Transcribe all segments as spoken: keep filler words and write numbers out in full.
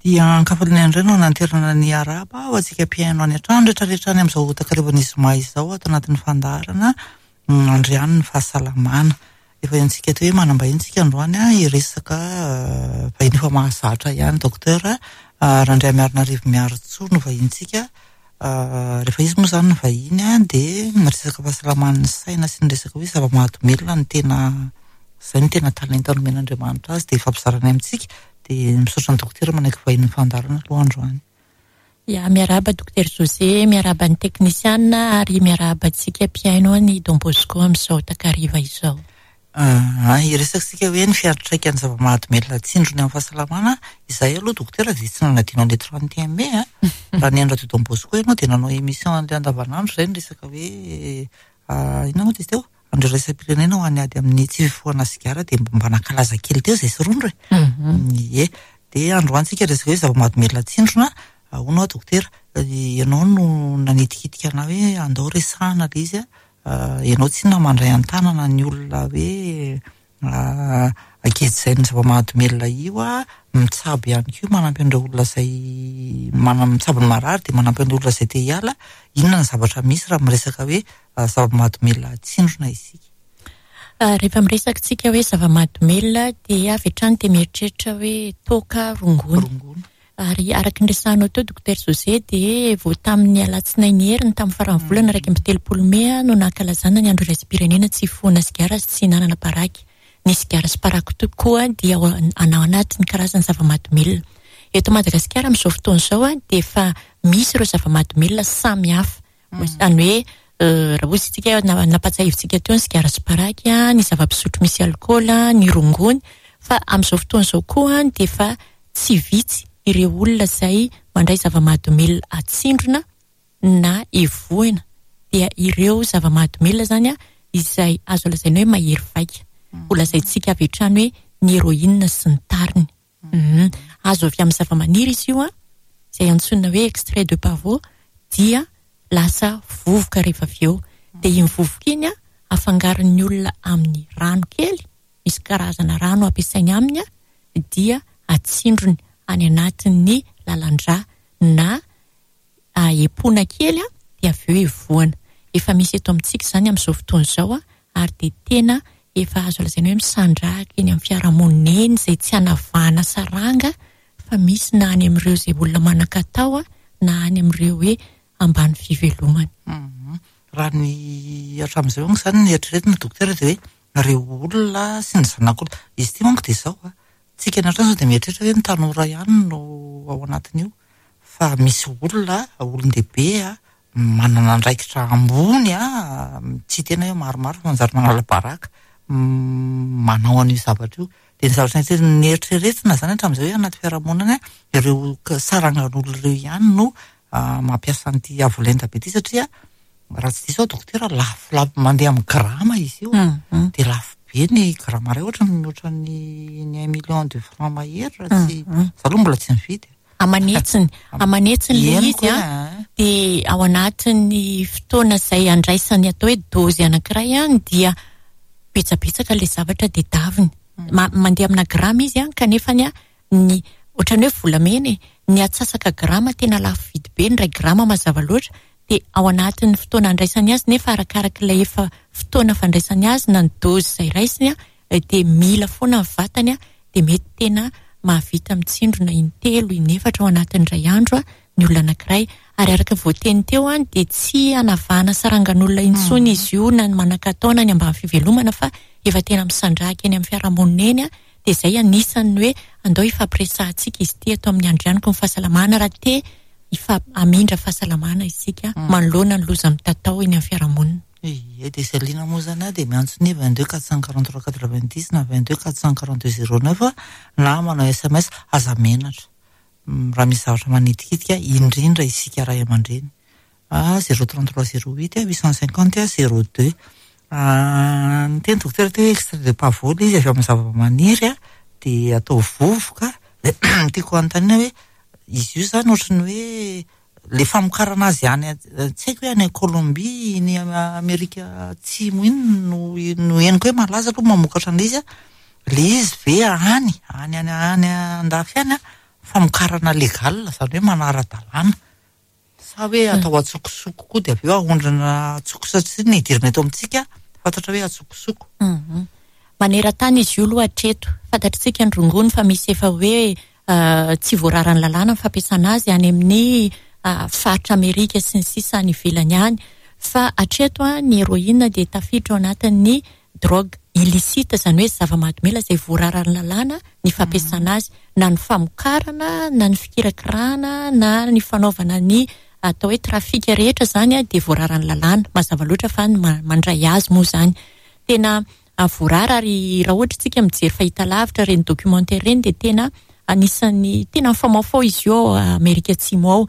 Dia ankafaliana indray no nanterana ny araba ho antsika mpihaino any an-trano rehetrarehetra any amin'izao takarivan'ny zoma izao ato anatin'ny fandaharana Andriano ny fahasalamana. Efa henontsika teo hoe manam-bahiny tsika androany a hiresaka vahiny efa mahazatra ihany, docteur Randriamiarinarivo Miarintsoa no vahintsika. Rehefa izy moa izany ny vahiny a dia miresaka fahasalaman'ny saina sy ny resaka hoe zava-mahadomelina no tena izay no tena talenta nomen'Andriamanitra azy, dia ifampizarana amintsika. Dia misaotra ny dokotera manaiky vahiny ny fandaharana aloha androany. Ya, miarahaba docteur José, miarahaba ny teknisiana ary miarahaba antsika mpihaino ny Don Bosco amin'izao takariva izao. Ah, hiresaka hoe ny fiantraikan'ny zava-mahadomelina tsindrony amin'ny fahasalamana. Izay aloha dokotera dia tsy nanadino an'ilay trente et un mai a. Raha nihaino radio Don Bosco ianao dia nanao émission an'ilay andavanandro izay niresaka hoe inona moa izy teo? Andro iraisam-pirenena ho an'ny ady amin'ny tsy fifohana sigara, dia mba nankalaza kely teo izay sy rondro e. Ie, dia androany tsika resaka hoe zava-mahadomelina tsindrona. Ahoana dokotera, ianao no nanitikitika anah hoe andao resahana ilay izy a. Ianao tsy na mandray an-tanana ny olona hoe ankehitriny zava-mahadomelina io a, mitsabo ihany koa, manampy an'ireo olona izay mana- mitsabo ny marary dia manampy an'ireo olona izay te hiala. Inona ny zavatra misy raha miresaka hoe zava-mahadomelina tsindrona isika? Rehefa miresaka tsika hoe zava-mahadomelina dia avy hatrany dia mieritreritra hoe toaka, rongony. Rongony. Ary araka ny resahanao teo docteur José dia vao tamin'ny alatsinainy heriny tamin'ny faran'ny volana iraika amby telopolo mey no nankalazana ny andro iraisam-pirenena tsy fifohana sigara sy tsy hihinanana paraky. Ny sigara sy paraky tokoa dia ao anatin'ny karazany zava-mahadomelina. Eto Madagasikara amin'izao fotoana izao dia efa misy ireo zava-mahadomelina samy hafa. Izany hoe raha ohatsy isika nampatsiahivintsika teo ny sigara sy paraky, ny zava-pisotro misy alkaola, ny rongony, fa amin'izao fotoana izao koa dia efa tsy vitsy ireo olona izay mandray zava-mahadomelina atsindrona na evohina. Dia ireo zava-mahadomelina izany izay azo lazaina hoe mahery vaika. Ho lazaintsika avy hatrany hoe ny héroïne sy ny tariny. Azo avy amin'ny zava-maniry izy io, izay antsoina hoe extrait de pavot, dia lasa vovoka rehefa avy eo. Dia iny vovoka iny afangaron'ny olona amin'ny rano kely, misy karazana rano ampiasainy aminy, dia atsindrony any anatin'ny lalan-drà na epona kely dia avy eo evohana. Efa misy eto amintsika izany amin'izao fotoana izao ary dia tena efa azo lazaina hoe misandrahaka eny amin'ny fiarahamonina eny izay tsy hanavahana saranga, fa misy na any amin'ireo izay olona manan-katao na any amin'ireo hoe ambany fivelomana. Raha ny hatramin'izay moa izany ny eritreretina dokotera dia hoe ireo olona sy ny zanak'olona. Izy ity manko dia izao a. Tsika ny hatrany izao dia mieritreritra hoe ny tanora ihany no ao anatin'io, fa misy olona, olon-dehibe a, manana andraikitra ambony a, tsy tena hoe maromaro fa manjary manala baraka, manao an'io zavatra io. Dia ny zavatra nieritreretina izany hatramin'izay hoe anaty fiarahamonina any, ireo sarangan'olona ireo ihany no mampiasa an'ity avolenta be ity, satria raha tsy diso aho dokotera lafo, lafo mandeha amin'ny grama izy io. Dia lafo be ny grama iray, ohatra mihoatra ny ny un million de francs mahery raha tsy za aloha mbola tsy nividy. Amanetsiny, amanetsiny ilay izy a, dia ao anatin'ny fotoana izay andraisany atao hoe dozy anankiray a, dia betsabetsaka ilay zavatra dia daviny. Mandeha amina grama izy a, kanefa ny ny ohatran'ny hoe volamena e, ny atsasaka grama tena lafo vidy be, ny iray grama mazava loatra, dia ao anatin'ny fotoana andraisany azy, nefa arakaraka ilay efa fotoana fandraisany azy na ny dozy izay raisiny a, dia mila foana ny vatany a, dia mety tena mahavita mitsindrona intelo, inefatra ao anatin'ny iray andro a ny olona anankiray. Ary araka ny voateny teo a, dia tsy hanavahana sarangan'olona intsony izy io na ny manan-katao na ny ambany fivelomana, fa efa tena misandrahaka eny amin'ny fiarahamonina eny a. Dia izay anisan'ny hoe andao hifampiresahantsika izy ity eto amin'ny Andrianiko ny fahasalamana, raha te hamindra fahasalamana isika manoloana ny loza mitatao eny amin'ny fiarahamonina. Ie, dia izay liana moa izany dia miantso ny vingt-deux quatre cent quarante-trois quatre-vingt-dix na vingt-deux quatre cent quarante-deux zéro neuf na manao S M S. Aza menatra raha misy zavatra manitikitika, indrindra isika ray aman-dreny. Ah, zéro trente-trois zéro huit huit cent cinquante zéro deux. Ny teny dokotera teo hoe extrait de pavot izy avy amin'ny zava-maniry a, dia atao vovoka. Tiako hanontaniana hoe izy io izany ohatran'ny hoe le famokarana azy any, tsy haiko hoe any Colombie, ny Amerika Atsimo iny no no henoko hoe malaza aloha mamokatra an'ilay izy a. Ilay izy ve any, any, any, any andafy any a, Famokarana légal, zany hoe manara-dalàna, sa hoe atao atsokosoko koa dia avy eo aondrana atsoko, satria ny idirana eto amintsika fantatra hoe atsokosoko? Mhm. Maneran-tany izy io aloha hatreto. Fantatritsika ny rongony fa misy efa hoe uh, tsy voararan'ny lalàna ny fampiasana azy any amin'ny uh, faritra Amerika sy ny sisa any ivelany any. Fa hatreto a, ny héroïne dia tafiditra ao anatin'ny drogue illicite, zany hoe zava-mahadomelina izay voararan'ny lalàna ny fampiasana azy, na ny famokarana, na ny fikirakirana, na ny fanaovana ny atao hoe trafic rehetra zany a, dia voararan'ny lalàna. Mazava loatra fa ny mandray azy moa zany tena voarara. Ary raha ohatra tsika mijery fahitalavitra reny documentaire reny, dia tena anisan'ny tena mifamaofao izy io ao Amerika Atsimo ao.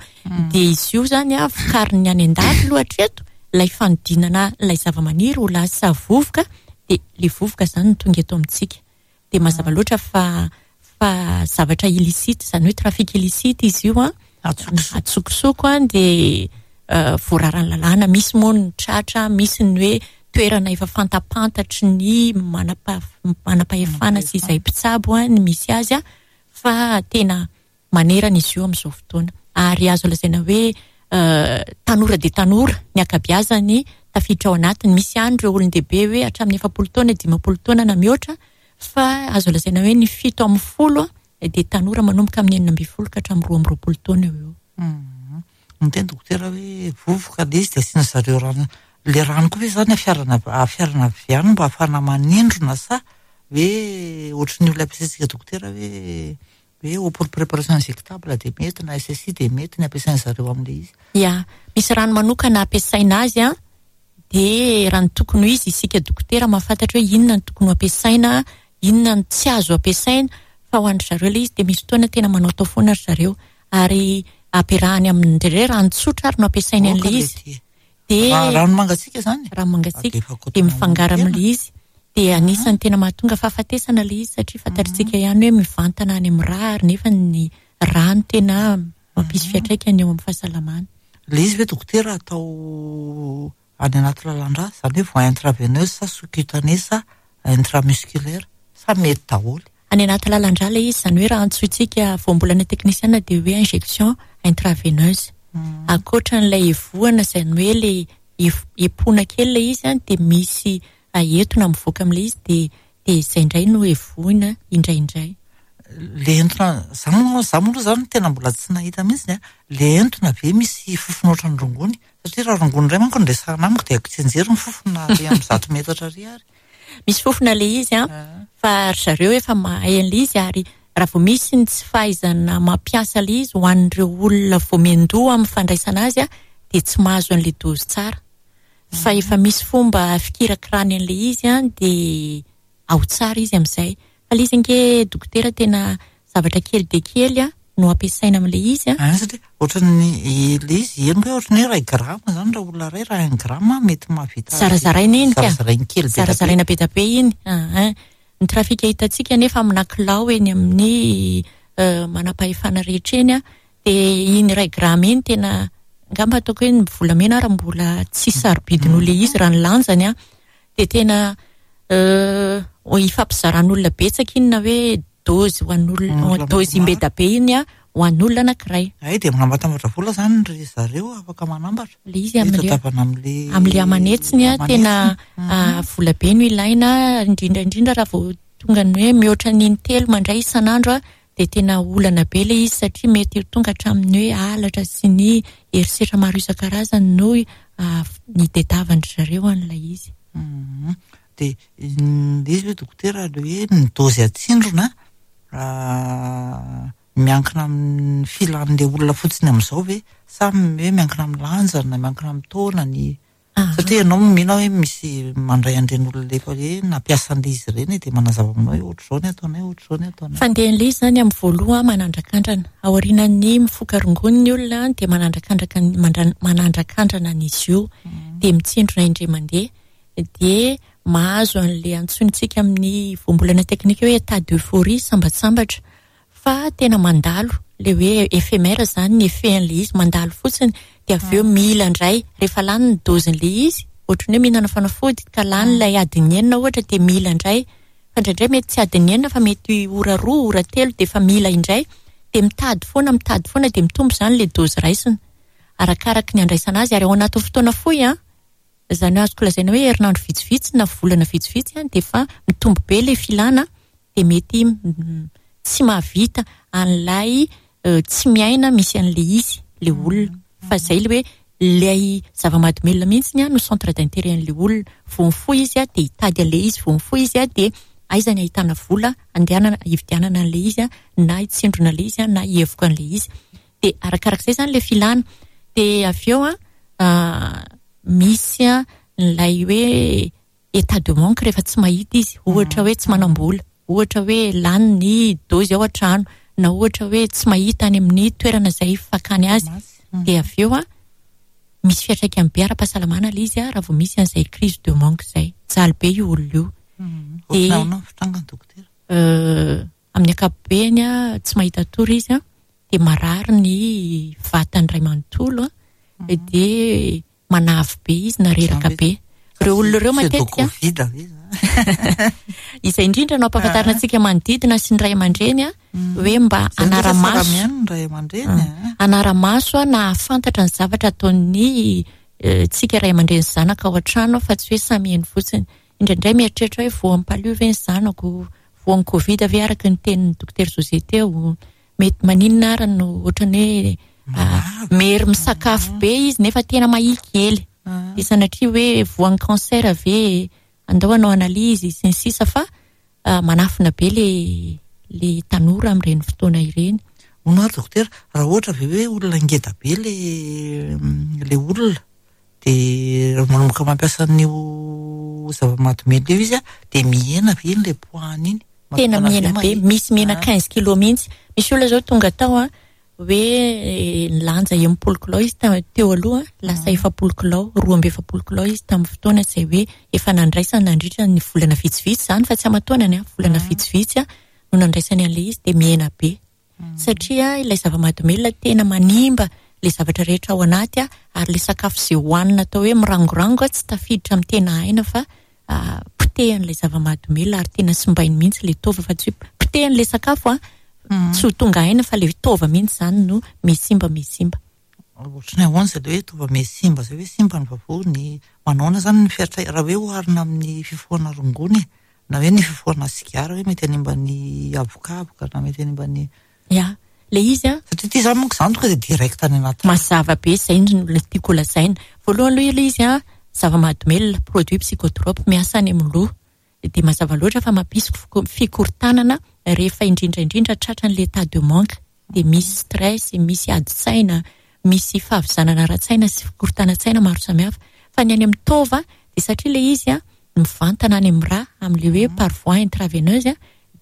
Dia izy io zany a, vokariny any an-dafy aloha hatreto, ilay fanodinana ilay zava-maniry ho lasa vovoka, dia le vovoka zany no tonga eto amintsika. Dia mazava loatra fa fa zavatra illicite, zany hoe trafic illicite izy io a, atsokosoko a, dia voararan'ny lalàna. Misy moa ny tratra, misy ny hoe toerana efa fantapantatry ny manapa manam-pahefana sy izay mpitsabo a ny misy azy a, fa tena manerana izy io amin'izao fotoana. Ary azo lazaina hoe tanora dia tanora ny ankabeazany tafiditra ao anatiny. Misy ihany ireo olon-dehibe hoe hatramin'ny efapolo taona, dimampolo taona na mihoatra, fa azo lazaina hoe ny fito amin'ny folo dia tanora manomboka amin'ny enina ambin'ny folo ka hatramin'ny roa amby roapolo taona eo eo. Miteny dokotera hoe vovoka le izy dia asiana zareo rano. Le rano koa ve zany afiarana afiarana avy any mba ahafahana manindrona, sa hoe ohatry ny olona ampiasaintsika dokotera hoe hoe eau pour préparation injectable dia mety, na S S I dia mety ny ampiasain zareo amin'le izy? Ya, misy rano manokana ampiasaina azy a, dia raha ny tokony ho izy, isika dokotera mahafantatra hoe inona ny tokony ho ampiasaina, inona ny tsy azo ampiasaina. Fa ho an-dry zareo le izy dia misy fotoana tena manao tao foana ry zareo, ary ampiarahany amin'ny indraindray rano tsotra ary no ampiasainy an'le izy. Dia rano mangatsiaka zany? Rano mangatsiaka dia mifangaro amin'le izy, dia anisan'ny tena mahatonga fahafatesana le izy, satria fantatritsika ihany hoe mivantana any amin'ny rà, ary nefa ny rano tena mampisy fiantraikany eo amin'ny fahasalamana. Le izy ve dokotera atao any anaty lalan-drà, zany hoe voie intraveineuse, sa sous-cutanée, sa intramusculaire, sa mety daholo? Any anaty lalan-drà le izy, zany hoe raha antsointsika voambolana teknisiana dia hoe injection intraveineuse. Ankoatran'ilay evohana, zany hoe le epona kely le izy a, dia misy entona mivoaka amin'ilay izy, dia dia izay indray no evohina indraindray. Le entona za moa za moa aloha zany tena mbola tsy nahita mihitsy a. Le entona ve misy fofona ohatran'ny rongony? Satria raha rongony indray manko no resahana amiko dia haiko tsianjery ny fofona ary amin'ny zato metatra ary ary. Misy fofona le izy a, fa ry zareo efa mahay an'le izy. Ary raha vao misy ny tsy fahaizana mampiasa le izy ho an'ireo olona vao miandoha amin'ny fandraisana azy a, dia tsy mahazo an'le dozy tsara. Fa efa misy fomba fikirakirany an'le izy a, dia ao tsara izy amin'izay. Fa le izy ange dokotera tena zavatra kely dia kely a no ampiasaina amin'le izy a. Ah, satria ohatran'ny le izy henoko hoe ohatran'ny hoe iray grama zany raha olona iray, raha un gramme mety mahavita. Zarazaraina iny ka. Zarazaraina kely be. Zarazaraina be dia be iny. Ah, ny trafika hitantsika nefa amina kilao eny amin'ny manam-pahefana rehetra eny a, dia iny iray grama iny tena angamba ataoko hoe ny volamena ary mbola tsy sarobidy noho le izy raha ny lanjany a. Dia tena ifampizaran'olona betsaka iny, na hoe dozy ho an'olona, dozy imbeda be iny a ho an'olona anankiray. Ay, dia manambatambatra vola zany ry zareo, afaka manambatra. Le izy am'le tadiavana am'le am'le amanetsiny a, tena vola be no ilaina, indrindra indrindra raha vao tonga ny hoe mihoatra ny intelo mandray isan'andro a, dia tena olana be le izy, satria mety ho tonga hatramin'ny hoe halatra sy ny herisetra maro isan-karazany no ny tadiavan-dry zareo an'ilay izy. Dia le izy hoe dokotera, le hoe ny dozy atsindrona miankina amin'ny filan'le olona fotsiny amin'izao ve, sa hoe miankina amin'ny lanjany na miankina amin'ny taona ny? Satria ianao mino hoe misy mandray an'ireny olona efa hoe nampiasa an'le izy ireny dia manazava aminao hoe ohatr'izao ny ataonay, ohatr'izao ny ataonay. Fandehan'ilay izy zany amin'ny voaloha manandrakandrana. Aorian'ny mifoka rongony ny olona dia manandrakandraka manandrakandrana an'izy io, dia mitsindrona indray mandeha, dia mahazo an'le antsointsika amin'ny voambolana teknika hoe état d'euphorie, sambatsambatra, fa tena mandalo le hoe éphémère zany ny effet an'le izy, mandalo fotsiny, dia avy eo mila indray rehefa lany ny dozin'le izy, ohatran'ny hoe mihinana fanafody ka lany ilay adiny enina ohatra, dia mila indray. Fa indraindray mety tsy adiny enina fa mety ora roa, ora telo, dia efa mila indray. De mitady foana, mitady foana, de mitombo zany le dose raisina arakaraky ny andraisana azy, ary ao anatin'ny fotoana fohy a, zany hoe azoko lazaina hoe herinandro vitsivitsy na volana vitsivitsy a, de fa mitombo be le filana, de mety tsy mahavita an'ilay tsy miaina misy an'le izy le olona. Fa zay le hoe lay zava-mahadomelina mihitsy a no centre d'intérêt an'le olona. Vao mifoha izy a de hitady an'le izy, vao mifoha izy a de aiza ny ahitana vola andehanana hividianana an'le izy a, na hitsindrona le izy a, na hievoka an'le izy. De arakarak'izay zany le filana. De avy eo a misy a lay hoe état de manque rehefa tsy mahita izy, ohatra hoe tsy manam-bola, ohatra hoe lany ny dose ao an-trano, na ohatra hoe tsy mahita any amin'ny toerana izay fakany azy. De avy eo a misy fiantraikany be ara-pahasalamana le izy a raha vao misy an'izay crise de manque zay. Jaly be io olona io. De fitrangany dokotera? Amin'ny ankapobeny a tsy mahita tory izy a, de marary ny vatany ray manontolo a, de manavy be izy na reraka be. Ireo olona ireo matetika izay indrindra no ampahafantarina antsika manodidina sy ny ray aman-dreny a, hoe mba anara-maso anara-maso a, na ahafantatra ny zavatra ataon'ny tsika ray aman-dreny zanaka ao an-trano, fa tsy hoe samy eny fotsiny. Indraindray mieritreritra hoe voan'ny palu ve ny zanako, voan'ny Covid ve araka ny tenin'ny dokotera José teo, mety maninona ary no ohatrany hoe mery misakafo be izy nefa tena mahia kely. De sanatria hoe voan'ny cancer ve, andao hanao analyse sy ny sisa, fa manafina be le le tanora amin'ireny fotoana ireny. Hono ary dokotera, raha ohatra ve hoe olona ngeda be le le olona, de manomboka mampiasa an'io zava-mahadomelina io izy a, de mihena ve iny le poids-ny iny? Tena mihena be, misy mihena quinze kilos mihitsy. Misy olona zao tonga tao a, hoe nilanja enimpolo kilao izy teo aloha, lasa efapolo kilao, roa amby efapolo kilao izy tamin'ny fotoana izay hoe efa nandraisany nandritra ny volana vitsivitsy zany, fa tsy aman-taonany a, volana vitsivitsy a no nandraisany an'ilay izy, de mihena be. Satria ilay zava-mahadomelina tena manimba le zavatra rehetra ao anaty a, ary le sakafo izay hohanina atao hoe mirangorango a tsy tafiditra amin'ny tena aina, fa potehan'ilay zava-mahadomelina ary tena simbainy mihitsy le taova, fa tsy hoe potehan'ilay sakafo a tsy ho tonga aina, fa le taova mihitsy zany no misimba misimba. Ohatrany ahoana zay le hoe taova misimba zay, hoe simba ny vavony, manaona zany ny fiatra raha hoe oharina amin'ny fifohana rongony, na hoe ny fifohana sigara, hoe mety hanimba ny avokavoka na mety hanimba ny Ya, le izy a satria ity zany manko zany tonga de direct any anaty. Mazava be zay no tiako lazaina. Voalohany aloha ilay izy a zava-mahadomelina, produit psychotrope miasa any amin'ny loha. De mazava loatra fa mampisy fikorontanana rehefa indrindra indrindra tratran'ilay état de manque. De misy stress, misy ady-tsaina, misy fahavizanana ara-tsaina sy fikorontanan-tsaina maro samihafa. Fa ny any amin'ny taova de satria ilay izy a mivantana any amin'ny rà, amin'ilay hoe par voie intraveineuse a,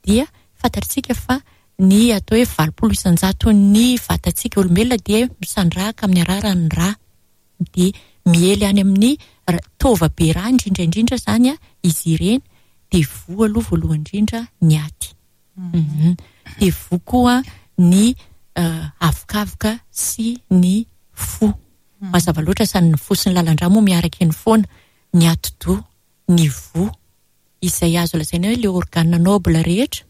dia fantatsika fa ny atao hoe valopolo isan-jato ny vatantsika olombelona dia misandrahaka amin'ny alalan'ny rà. De miely any amin'ny taova be rà indrindra indrindra zany a izy ireny, de voa aloha voalohany indrindra ny aty. De voa koa ny avokavoka sy ny fo. Mazava loatra sany ny fo sy ny lalan-drà moa miaraka eny foana, ny atidoha, ny voa, izay azo lazaina hoe le organe noble rehetra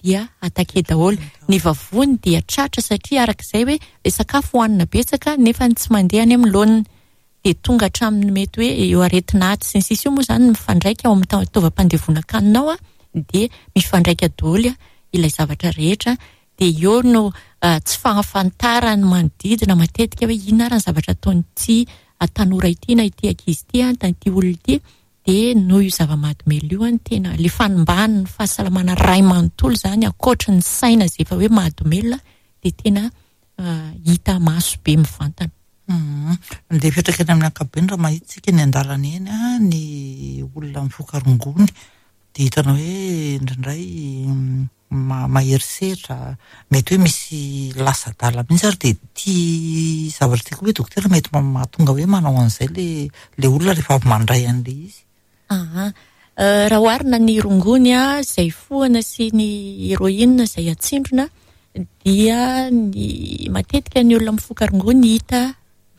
dia attaqué daholo. Ny vavony dia tratra satria arak'izay hoe le sakafo hohanina betsaka nefa tsy mandeha any amin'ny laoniny, de tonga hatramin'ny mety hoe eo aretina aty sy ny sisa io moa zany mifandraika ao amin'ny taovam-pandevonan-kanina ao a, de mifandraika daholo ilay zavatra rehetra. De eo no tsy fahafantarany manodidina matetika hoe inona ary ny zavatra ataon'ity tanora ity na ity ankizy ity a, na ity olona ity. De noho io zava-mahadomelina io a, tena le fanimbany ny fahasalamana ray manontolo zany, ankoatra ny saina izay efa hoe mahadomelina, de tena hita maso be mivantana. Andeha hipetraka eny amin'ny ankapobeny raha mahita isika eny an-dalana eny a, ny olona mifoka rongony, de hitanao hoe indraindray mahery setra, mety hoe misy lasa adala mihitsy ary, de ity zavatra ity koa hoe dokotera mety mahatonga hoe manao an'izay le le olona rehefa avy mandray an'ilay izy. Aha. Raha oharina ny rongony a izay fohana sy ny héroïne izay atsindrona, dia ny matetika ny olona mifoka rongony hita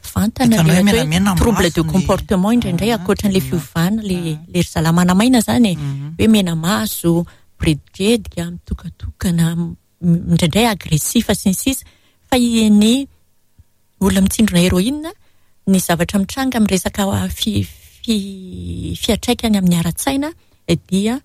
vantana le atao hoe trouble de comportement indraindray, ankoatran'ilay fiovana le le ry zalahy manamaina zany e, hoe mena maso, miredidredika, mitokatokana, indraindray agressif sy ny sisa. Fa ny olona mitsindrona héroïne, ny zavatra mitranga amin'ny resaka fi, fi, fiantraikany amin'ny ara-tsaina dia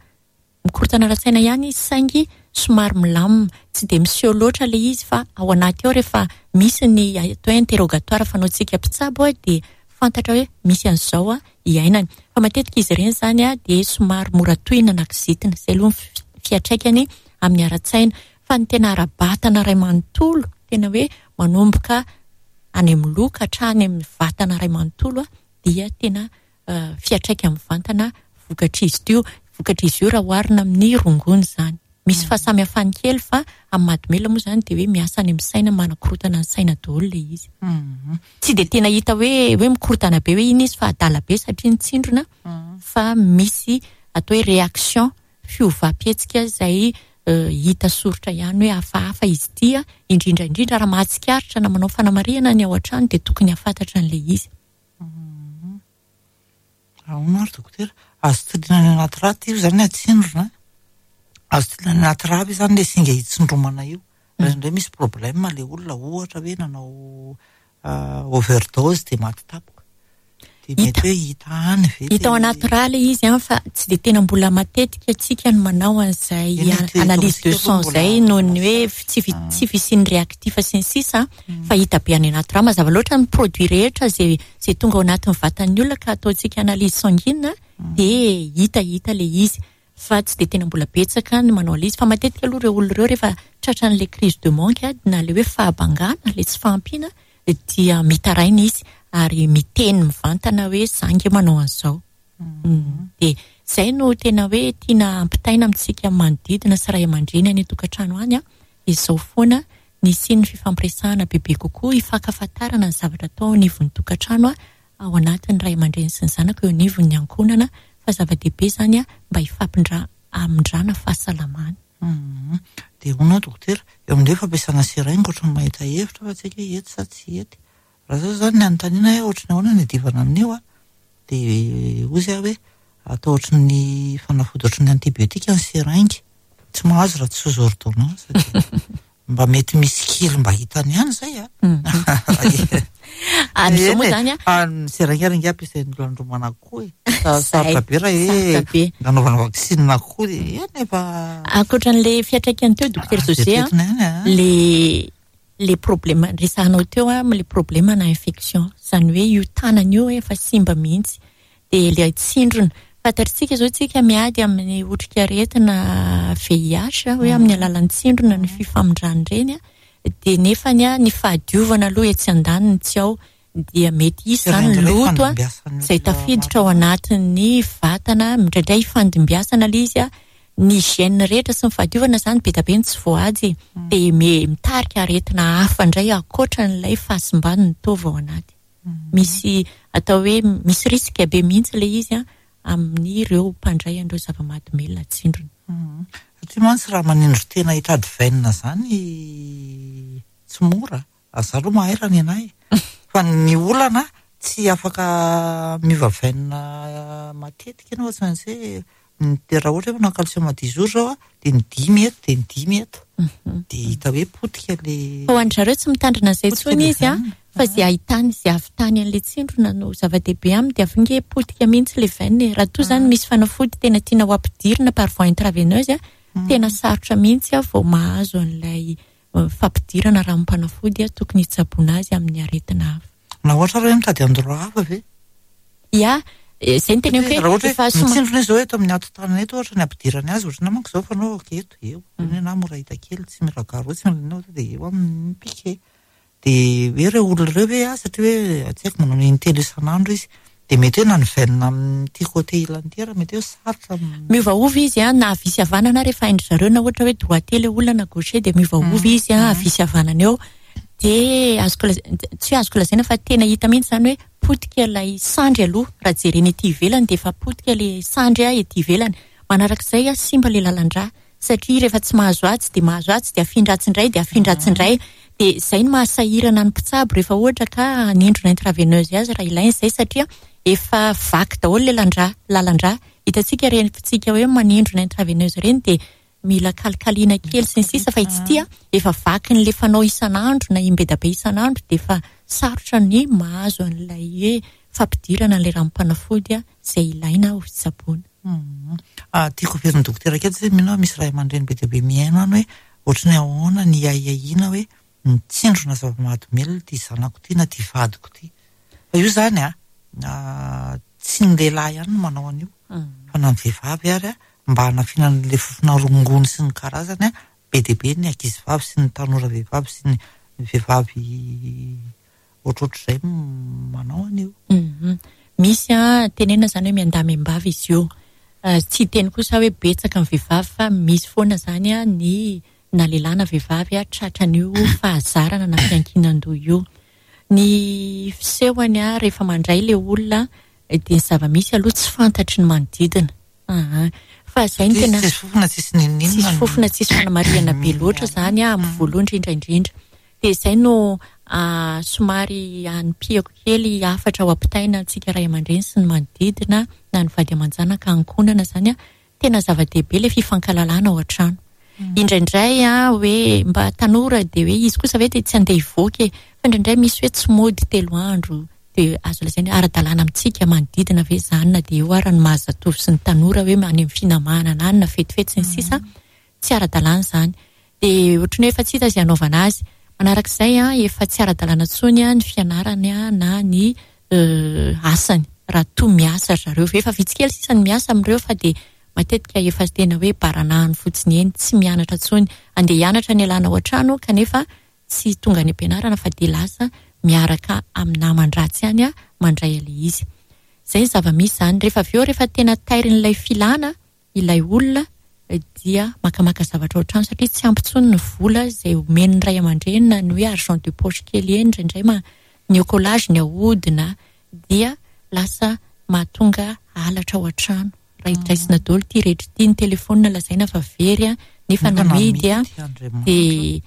mikorotana ara-tsaina ihany izy, saingy somary milamina, tsy dia miseho loatra ilay izy, fa ao anaty ao rehefa misy ny atao hoe interrogatoire fanaontsika mpitsabo dia fantatra hoe misy an'izao iainany. Fa matetika izy ireny izany dia somary mora tohina na kizitina, izay aloha ny fiantraikany amin'ny ara-tsaina. Fa ny tena ara-batana iray manontolo, tena hoe manomboka any amin'ny loha ka hatrany amin'ny vatana iray manontolo dia tena fiantraika mivantana vokatr'izy io, vokatr'izy io raha oharina amin'ny rongony izany. Misy fahasamihafany kely, fa amin'ny mahadomelina moa izany dia hoe miasa any amin'ny saina, manakorotana ny saina daholo ilay izy. Tsy dia tena hita hoe hoe mikorotana be hoe iny izy fa adala be satria nitsindrona, fa misy atao hoe réaction, fiovam-pihetsika izay hita soritra ihany hoe hafahafa izy ity, indrindra indrindra raha mahatsikaritra na manao fanamarihana ny ao an-trano dia tokony hahafantatra an'ilay izy. Ahoana ary dokotera? Azo tiliana any anaty rà io izany atsindrona? Azo tiliana any anaty rà ve izany ilay singa hitsindromana io? Indraindray misy problème ilay olona, ohatra hoe nanao overdose dia maty tampoka. Dia mety hoe hita any ve? Hita ao anaty rà ilay izy an, fa tsy dia tena mbola matetika antsika no manao an'izay analyse de sang izay noho ny hoe tsy tsy fisian'ny réactif sy ny sisa, fa hita be any anaty rà. Mazava loatra ny produit rehetra izay izay tonga ao anatin'ny vatan'ny olona ka ataontsika analyse sanguine dia hita hita ilay izy, fa tsy dia tena mbola betsaka ny manao ilay izy. Fa matetika aloha ireo olona ireo rehefa tratran'ilay crise de manque na ilay hoe fahabangana, ilay tsy fahampiana, dia mitaraina izy ary miteny mivantana hoe za nge manao an'izao. Dia izay no tena hoe tiana ampitaina amintsika manodidina sy ray aman-dreny any an-tokantrano any, izao foana nisian'ny fifampiresahana bebe kokoa, hifankafantarana ny zavatra atao anivon'ny tokantrano ao anatin'ny ray aman-dreny sy ny zanaka eo anivon'ny ankohonana, fa zava-dehibe izany mba hifampindra amindrana fahasalamana. Dia hono dokotera, eo amin'ilay fampiasana seringue ohatran'ny mahita hevitra fa tsy haiko hoe ety sa tsy ety. Raha zao izany ny anontaniana hoe ohatran'ny ahoana ny adivana amin'io a, dia hoy aho hoe atao ohatran'ny fanafody ohatran'ny antibiotika ny seringue, tsy mahazo raha tsy sous ordonnance. Mba mety misy kely mba hitany ihany izay a. Amin'izao moa izany a, ny seringue ary ange ampiasain'ny olona andromana koa e. Sarotra be raha hoe nanaovana vaksiny koa dia eny efa. Ankoatran'ilay fiantraikany teo dokotera José a, le le problème resahanao teo a, le problème na infection, izany hoe io tanana io efa simba mihitsy, dia ilay tsindrona. Fantatritsika izao tsika miady amin'ny otrikaretina V I H hoe amin'ny alalan'ny tsindrona ny fifamindrana ireny, dia nefany ny fahadiovana aloha etsy andaniny tsy ao, dia mety hisy izany loto izay tafiditra ao anatin'ny vatana, indraindray ifandimbiasana ilay izy, ny hygiène rehetra sy ny fahadiovana izany be dia be ny tsy voahaja, dia mitarika aretina hafa indray ankoatran'ilay fahasimban'ny taova ao anaty. Misy atao hoe misy risque be mihitsy ilay izy amin'ireo mpandray an'ireo zava-mahadomelina tsindrona. Satria mantsy raha manindry tena hitady veine izany tsy mora, za aloha mahay raha ny anahy. Fa ny olana tsy afaka miova veine matetika ianao, tsy maintsy hoe raha ohatra hoe manao calcium dix jours zao dia ny dimy eto dia ny dimy eto, dia hita hoe potika ilay. Fa ho an-dry zareo tsy mitandrina an'izay intsony izy a, fa izay ahitany izay ahavitany an'ilay tsindrona no zava-dehibe aminy, dia avy nge potika mihitsy ilay veine. Raha toa izany misy fanafody tena tiana ho ampidirina par voie intraveineuse, tena sarotra mihitsy vao mahazo an'ilay fampidirana ranom-panafody tokony hitsaboana azy amin'ny aretina hafa. Na ohatra raha hoe mitady endroit hafa ve? Ia, izay no teneniko hoe raha ohatra hoe mitsindrona izy zao eto amin'ny ato-tanana eto, ohatra ny ampidirany azy, ohatra ny manko izao fanaovako eto, eo. Na mora hita kely, tsy mila garou, tsy mila inona, dia eo amin'ny piquet. Dia hoe ireo olona ireo ve, satria hoe tsy haiko manao intelo isan'andro izy, dia mety hoe na ny veine amin'ity côté ilany ity ary mety hoe sarotra amin'ny Miovaova izy a, na havia sy havanana rehefa hain-dry zareo, na ohatra hoe droitier ilay olona na gaucher dia miovaova izy a, havia sy havanana eo. Dia azoko lazaina, tsy azoko lazaina fa tena hita mihitsy izany hoe potika ilay sandry aloha, raha jerena ety ivelany dia efa potika ilay sandry ety ivelany. Manarak'izay a, simba ilay lalan-drà, satria rehefa tsy mahazo atsy dia mahazo atsy, dia afindra atsy indray, dia afindra atsy indray. Dia izay no mahasahirana ny mpitsabo rehefa ohatra ka hanindrona intraveineuse azy raha ilaina izay, satria efa vaky daholo ilay lalan-drà, lalan-drà. Hitantsika rehefa tsika hoe manindrona intraveineuse ireny dia mila kalikaliana kely sy ny sisa, fa itsy ity a efa vakin'le fanao isan'andro na imbedabe isan'andro, dia efa sarotra ny mahazo an'ilay hoe fampidirana an'ilay ranom-panafody a izay ilaina ho fitsaboana. Ah, tiako averin'ny dokotera kely satria mino aho misy ray aman-dreny be dia be mihaino any hoe ohatry ny ahoana ny ahiahiana hoe mitsindrona zava-mahadomelina ity zanako ity na ity vadiko ity. Fa io zany a, tsy ny lehilahy ihany no manao an'io, fa na ny vehivavy ary a, mba hanafiana an'ilay fofona rongony sy ny karazany a, be dia be ny ankizivavy sy ny tanora vehivavy sy ny vehivavy ohatrohatr'izay manao an'io. Misy a, tenenina zany hoe miandamy-mbavy izy io. Tsy hiteny kosa hoe betsaka ny vehivavy, fa misy foana zany a ny na lehilahy na vehivavy a tratran'io fahazarana na fiankinan-doha io. Ny fisehony a rehefa mandray ilay olona dia ny zava-misy aloha tsy fantatry ny manodidina. Aha. Fa zay ny tena Tsisy fofona, tsisy n'inon'inona. Tsisy fofona, tsisy fanamarihana be loatra zany a amin'ny voalohany indrindra indrindra. Dia izay no somary anipihako kely hafatra ho ampitaina antsika ray aman-dreny sy ny manodidina na ny vady aman-janaka ankohonana zany a, tena zava-dehibe ilay fifankalalana ao an-trano. Indraindray a hoe mba tanora dia hoe izy kosa ve dia tsy andeha hivoaka e, fa indraindray misy hoe tsy mody telo andro, dia azo lazaina hoe ara-dalàna amintsika manodidina ve zany na dia eo ara ny mahazatovo sy ny tanora hoe any amin'ny finamanana any na fetifety sy ny sisa, tsy ara-dalàna izany. Dia ohatran'ny hoe efa tsy hita izay hanaovana azy. Manarak'izay a, efa tsy ara-dalàna intsony a ny fianarany a na ny asany raha toa miasa ry zareo. Efa vitsy kely sisa ny miasa amin'ireo fa dia matetika efa tena hoe baranahany fotsiny eny, tsy mianatra intsony. Andeha hianatra ny alana ao an-trano kanefa tsy tonga any am-pianarana fa dia lasa miaraka amin'ny naman-dratsy ihany a mandray ilay izy. Izay ny zava-misy izany. Rehefa avy eo, rehefa tena tairin'ilay filana ilay olona dia makamaka zavatra ao an-trano satria tsy ampy intsony ny vola izay omen'ny ray aman-dreny na ny hoe argent de poche kely eny indraindray ma ny écolage ny ahodina dia lasa mahatonga halatra ao an-trano. Raha hidraisina daholo ity rehetra ity, ny telefônina lazaina fa very a, nefa namidy a, dia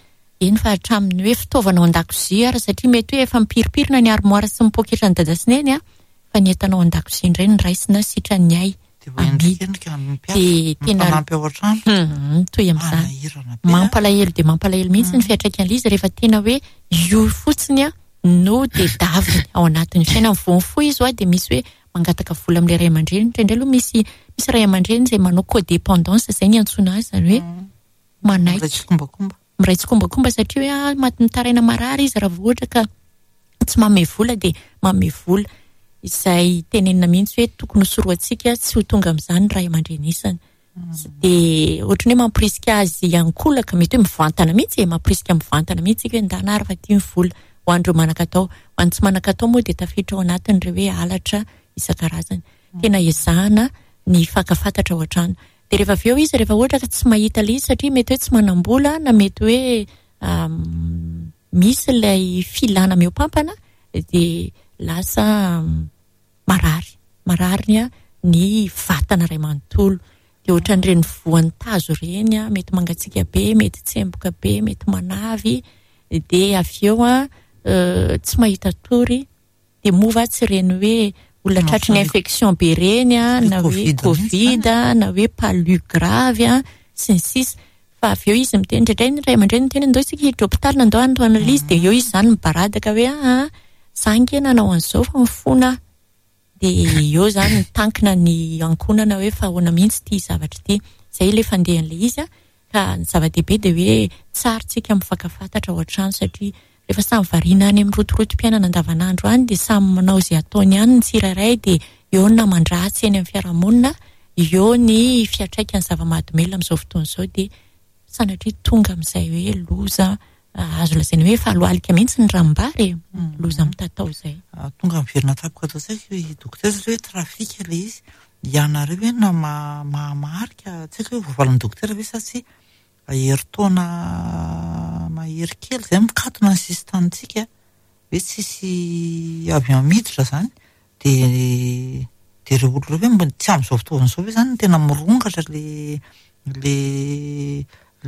eny fa hatramin'ny hoe fitaovana ao an-dakozia ary satria mety hoe efa mipiripirina ny armoire sy ny poketran'ny dada sy neny a, fa ny entana ao an-dakozia indray no raisina sitran'ny ay. Dia voaendrikendrika ny mpiasa, Dia tena mifanampy ao an-trano. Hmm, toy amin'izany. Manahirana be, a. Mampalahelo dia mampalahelo mihitsy ny fiantraikan'ilay izy rehefa tena hoe io fotsiny a no tedaviny ao anatin'ny fiainana. Vao mifoha izy hoa dia misy hoe mangataka vola amin'ilay ray aman-dreny. Indraindray aloha misy, misy ray aman-dreny izay manao codépendance, izay ny antsoina azy, izany hoe manaiky. Miray tsikombakomba. Miray tsikombakomba satria hoe, ah, maty mitaraina marary izy raha vao ohatra ka tsy manome vola dia manome vola. Izay tenenina mihitsy hoe tokony hosorohantsika tsy ho tonga amin'izany ray aman-dreny isany. Dia ohatran'ny hoe mampirisika azy ankolaka, mety hoe mivantana mihitsy e, mampirisika mivantana mihitsy hoe ndana ary fa tia ny vola ho an'ireo manan-katao. Ho an'ny tsy manan-katao moa dia tafiditra ao anatin'ireo hoe halatra isan-karazany. Tena ezahana ny fankafantatra ao an-trano. Dia rehefa avy eo izy, rehefa ohatra ka tsy mahita ilay izy satria mety hoe tsy manam-bola na mety hoe, um, misy ilay filana mihoampampana, dia lasa marary. Marary ny, ny vatana iray manontolo. Dia ohatran'ireny voan'ny tazo ireny, mety mangatsiaka be, mety tsemboka be, mety manavy. Dia avy eo, euh, tsy mahita tory. Dia moa va tsy ireny hoe olona tratry ny infection be ireny, na hoe Covid, na hoe palu grave, sy ny sisa. Fa avy eo izy miteny, indraindray ny ray aman-dreny miteny, ndao isika hiditra hôpitaly, na ndao hanao analyse, dia eo izy izany mibaradaka hoe, ah, za ange nanao an'izao fa mifona aho. Dia eo izany mitankina ny ankohonana hoe fa ahoana mihitsy ity zavatra ity. Izay ilay fandehan'ilay izy, ka ny zava-dehibe dia hoe tsara tsika mifankafantatra ao an-trano satria rehefa samy variana any amin'ny rotorotom-piainana andavanandro any dia samy manao izay ataony ihany ny tsirairay, dia eo ny naman-dratsy eny amin'ny fiarahamonina, eo ny fiantraikan'ny zava-mahadomelina amin'izao fotoana izao, dia sanatria tonga amin'izay hoe loza azo lazaina hoe efa alohalika mihitsy ny ranombary e, loza mitatao izay. Ah, tonga miverina tampoka ato an-tsaiko i dokotera satria hoe trafika ilay izy. Ianareo ve na ma-, mahamarika, tsy haiko hoe voavalin'ny dokotera ve sa tsy herintaona mahery kely izay mikatona ny sisin-tanintsika, hoe tsisy avion miditra izany, dia, dia ireo olona ireo ve mbo-, tsy amin'izao fotoana izao ve izany no tena mirongatra le, le,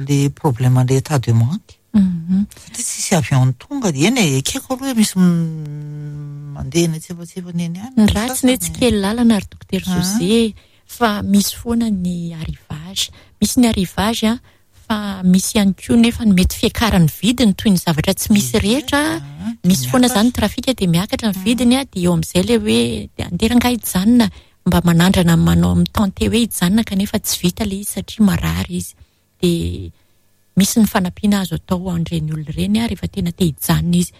le problème le état de manque? Mhm. Satria tsisy avion tonga, eny e, ekeko aloha hoe misy m-, mandeha eny an-tsefatsefany eny ihany. Ny ratsy ne tsy kely lalana ry dokotera Ah. José, fa misy foana ny arrivage, Misy ny arrivage a, fa misy ihany koa nefa ny mety fiakaran'ny vidiny toy ny zavatra tsy misy rehetra. Misy foana zany trafika dia miakatra ny vidiny a, dia eo amin'izay le hoe andeha rangahy hijanona, mba manandrana manao mitente hoe hijanona kanefa tsy vita le izy satria marary izy. Dia misy ny fanampiana azo atao an'ireny olona ireny a rehefa tena te hijanona izy.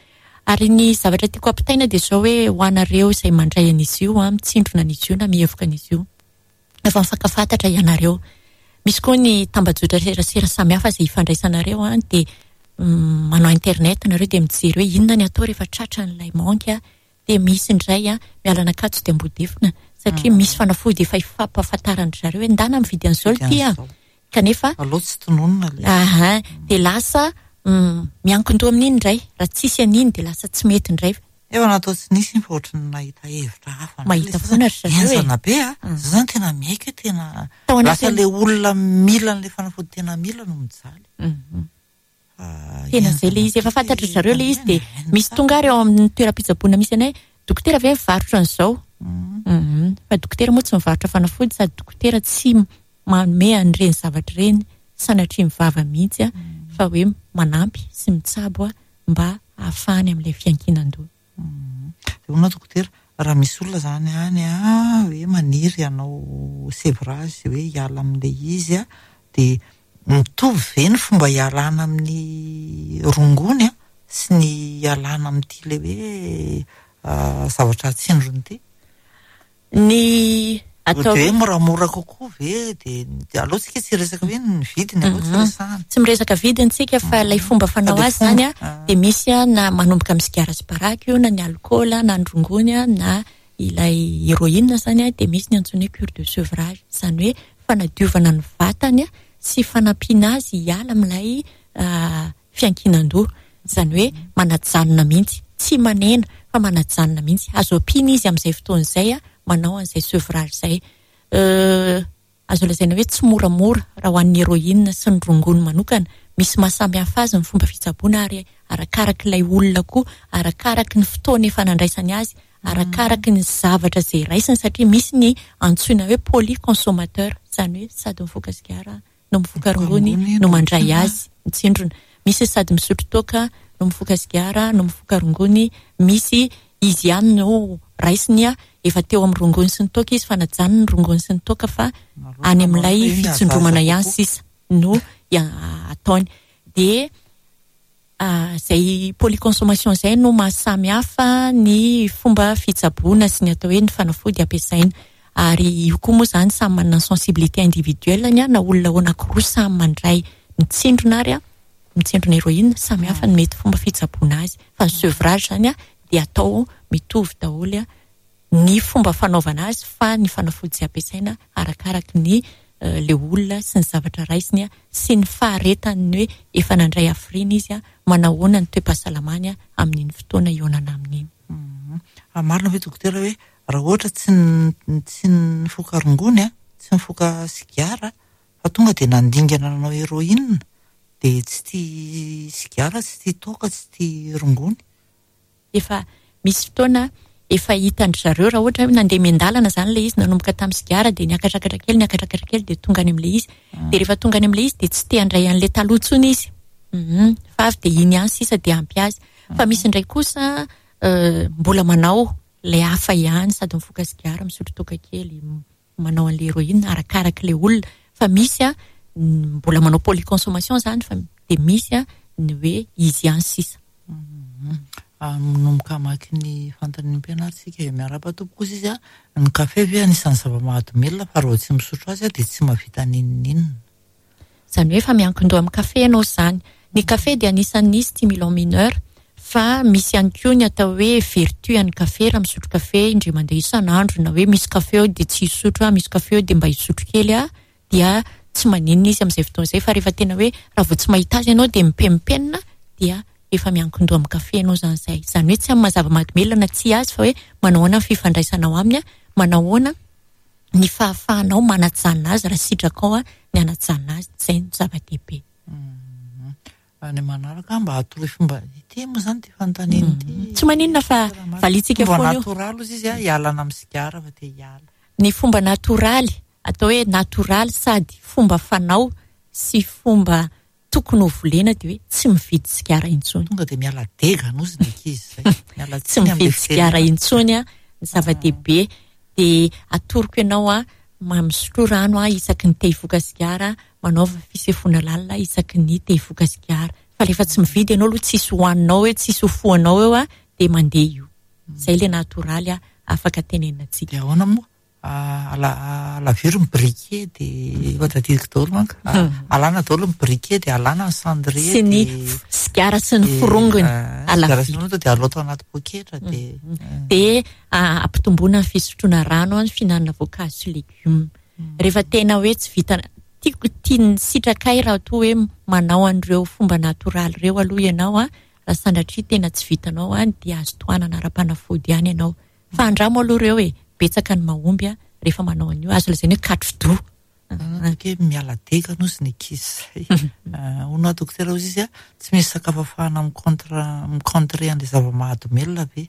Ary ny zavatra tiako ampitaina dia izao hoe ho anareo izay mandray an'izy io a, mitsindrona an'izy io na mihevoka an'izy io, efa mifankafantatra ianareo. Misy koa ny tambajotra serasera samihafa izay ifandraisanareo a, dia manao internet nareo dia mijery hoe inona ny atao rehefa tratra an'ilay manque a, dia misy indray a miala an'Ankatso dia Ambodifona satria misy fanafody efa ifampahafantaran-dry zareo hoe ndana mividy an'izao ity a, kanefa aloha tsy tononina le. Aha, dia lasa miankin-doha amin'iny indray, raha tsisy an'iny dia lasa tsy mety indray. Efa natao tsy nisy iny fa ohatry ny nahita hevitra hafa. Mahita foana ry zareo e. Henjana be a, zay zany tena miaiky hoe tena Tao anatin'ny lasa le olona mila an'ilay fanafody tena mila no mijaly. Tena zay le izy, efa fantatry zareo le izy dia misy tonga ary ao amin'ny toeram-pitsaboana misy anay, dokotera ve mivarotra an'izao? Fa dokotera moa tsy mivarotra fanafody sady dokotera tsy manome an'ireny zavatra ireny sanatria mivava mihitsy a, fa hoe manampy sy mitsabo a mba ahafahany amin'ilay fiankinan-doha. Dia hono dokotera, raha misy olona zany any a hoe maniry hanao sevrage hoe hiala amin'ilay izy a, dia mitovy ve ny fomba hialana amin'ny rongony a sy ny hialana amin'ity ilay hoe zavatra atsindrony ity? Ny atao hoe moramora kokoa ve dia aloha tsika tsy resaka hoe ny vidiny aloha tsy resahana. Tsy miresaka vidiny tsika fa ilay fomba fanao azy zany a dia misy a na manomboka amin'ny sigara sy paraky io na ny alkaola na ny rongony a na ilay héroïne zany a, dia misy ny antsoina hoe cure de sevrage, izany hoe fanadiovana ny vatany a sy fanampiana azy hiala amin'ilay fiankinan-doha, izany hoe manajanona mihitsy, tsy manena fa manajanona mihitsy. Azo ampiana izy amin'izay fotoana izay a manao an'izay sevrage izay. Azo lazaina hoe tsy moramora raha ho an'ny héroïne sy ny rongony manokana, misy mahasamihafa azy ny fomba fitsaboana ary arakarak'ilay olona koa, arakaraky ny fotoana efa nandraisany azy, arakaraky ny zavatra izay raisiny, satria misy ny antsoina hoe polyconsommateur, izany hoe sady mifoka sigara no mifoka rongony no mandray azy mitsindrona, misy sady misotro toaka no mifoka sigara no mifoka rongony, misy izy ihany no raisiny a efa teo amin'ny rongony sy ny toaka izy fa najanony ny rongony sy ny toaka fa any amin'ilay fitsindromana ihany sisa no ataony. Dia izay polyconsommation izay no mahasamihafa ny fomba fitsaboana sy ny atao hoe ny fanafody ampiasaina. Ary io koa moa zany samy manana sensibilité individuelle ny a, na olona anankiroa samy mandray mitsindrona ary a mitsindrona héroïne, samy hafa ny mety fomba fitsaboana azy. Fa ny sevrage zany a dia atao mitovy daholo a ny fomba fanaovana azy, fa ny fanafody izay ampiasaina arakaraky ny le olona sy ny zavatra raisiny a sy ny faharetany hoe efa nandray hafiriana izy a, manahoana ny toe-pahasalamany a amin'iny fotoana ionana amin'iny. Marina ve dokotera hoe raha ohatra tsy tsy nifoka rongony a, tsy nifoka sigara fa tonga dia nandingana nanao héroïne dia tsy tia sigara, tsy tia toaka, tsy tia rongony? Efa misy fotoana efa hitan-dry zareo raha ohatra hoe nandeha miandalana zany ilay izy, nanomboka tamin'ny sigara dia niakatrakatra kely, niakatrakatra kely dia tonga any amin'ilay izy. Dia rehefa tonga any amin'ilay izy dia tsy te handray an'ilay taloha intsony izy. Fa avy dia iny ihany sisa dia ampy azy. Fa misy indray kosa mbola manao ilay hafa ihany, sady mifoka sigara, misotro toaka kely, manao an'ilay héroïne arakarak'ilay olona. Fa misy a mbola manao polyconsommation zany, fa dia misy a ny hoe izy ihany sisa. Manomboka hamaky ny fanontanian'ny mpianaritsika eo miarahaba tompoko kosa izy a, ny kafe ve anisan'ny zava-mahadomelina fa raha vao tsy misotro azy a dia tsy mahavita n'inon'inona? Izany hoe efa miankin-doha amin'ny kafe ianao izany. Ny kafe dia anisan'ny stimulant mineur, fa misy ihany koa ny atao hoe vertu an'ny kafe. Raha misotro kafe indray mandeha isan'andro, na hoe misy kafe eo dia tsy hisotro a, misy kafe eo dia mba hisotro kely a, dia tsy maninona izy amin'izay fotoana izay. Fa rehefa tena hoe raha vao tsy mahita azy ianao dia mipenipenina, dia efa miankin-doha amin'ny kafe ianao izany izay. Izany hoe tsy amin'ny maha-zava-mahadomelina na tsy azy, fa hoe manao ahoana ny fifandraisanao aminy, manao ahoana ny fahafahanao manajanona azy raha sitrakao a ny anajanona azy, izay no zava-dehibe. Ny manaraka mba atoroy fomba ity moa izany ity fanontaniana ity. Tsy maninona fa valiantsika Fomba foana io. natoraly ozy izy a, hialana amin'ny sigara fa te hiala. Ny fomba natoraly atao hoe natoraly sady fomba fanao sy fomba tokony ho volena dia hoe tsy mividy sigara intsony. Tonga dia miala dega nozy ny ankizy zay. Miala Tsy mividy sigara intsony a, ny zava-dehibe dia atoroko ianao a, misotro rano a isaky ny te hifoka sigara, manaova fisefoana lalina isaky ny te hifoka sigara. Fa rehefa tsy mividy ianao aloha tsisy hohaninao eo, tsisy ho fohanao eo a, dia mandeha io. Zay le natoraly a, afaka tenenina-tsika. Dia ahoana moa? Alaviro ny briquet dia efa tadidiko daholo manko. Alana daholo ny briquet dia alana ny cendrier sy ny sigara sy ny forongony. Sigara sy ny forongony dia aloto anaty poketra dia dia ampitomboana ny fisotroana rano, ny fihinanana voankazo sy legioma. Rehefa tena hoe tsy vita, tiako tian'ny sitrakay raha toa hoe manao an'ireo fomba natoraly ireo aloha ianao a, raha sanatria tena tsy vitanao a, dia azo tohanana ara-panafody ihany ianao. Fa andramo aloha ireo e, betsaka ny mahomby a rehefa manao an'io, azo lazaina hoe katro-doha. Hoe miala dega nozy ny ankizy zay. Hono aho dokotera hozy izy a, tsy misy sakafo ahafahana mi-contre, mi-contrer an'ilay zava-mahadomelina ve?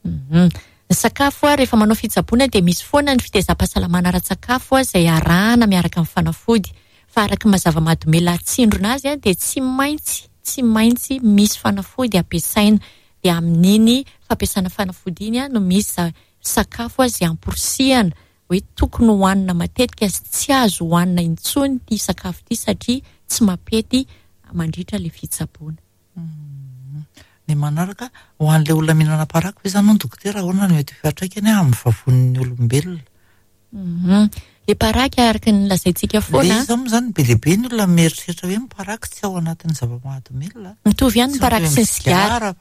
Ny sakafo a, rehefa manao fitsaboana dia misy foana ny fitezam-pahasalamana ara-tsakafo a, izay arahana miaraka amin'ny fanafody. Fa araka ny maha zava-mahadomelina atsindrona azy a, dia tsy maintsy, tsy maintsy misy fanafody ampiasaina. Dia amin'iny fampiasana fanafody iny a, no misy sakafo izay amporisihana hoe tokony hohanina matetika sy tsy azo hohanina intsony ity sakafo ity satria tsy mampety mandritra ilay fitsaboana. Ny manaraka, ho an'ilay olona mihinana paraky ve izany hono dokotera, ahoana no mety ho fiantraikany amin'ny vavonin'ny olombelona? Le paraky araka ny lazaintsika foana. Le izy moa izany be dia be ny olona mieritreritra hoe ny paraky tsy ao anatin'ny zava-mahadomelina. Mitovy ihany ny paraky sy ny sigara.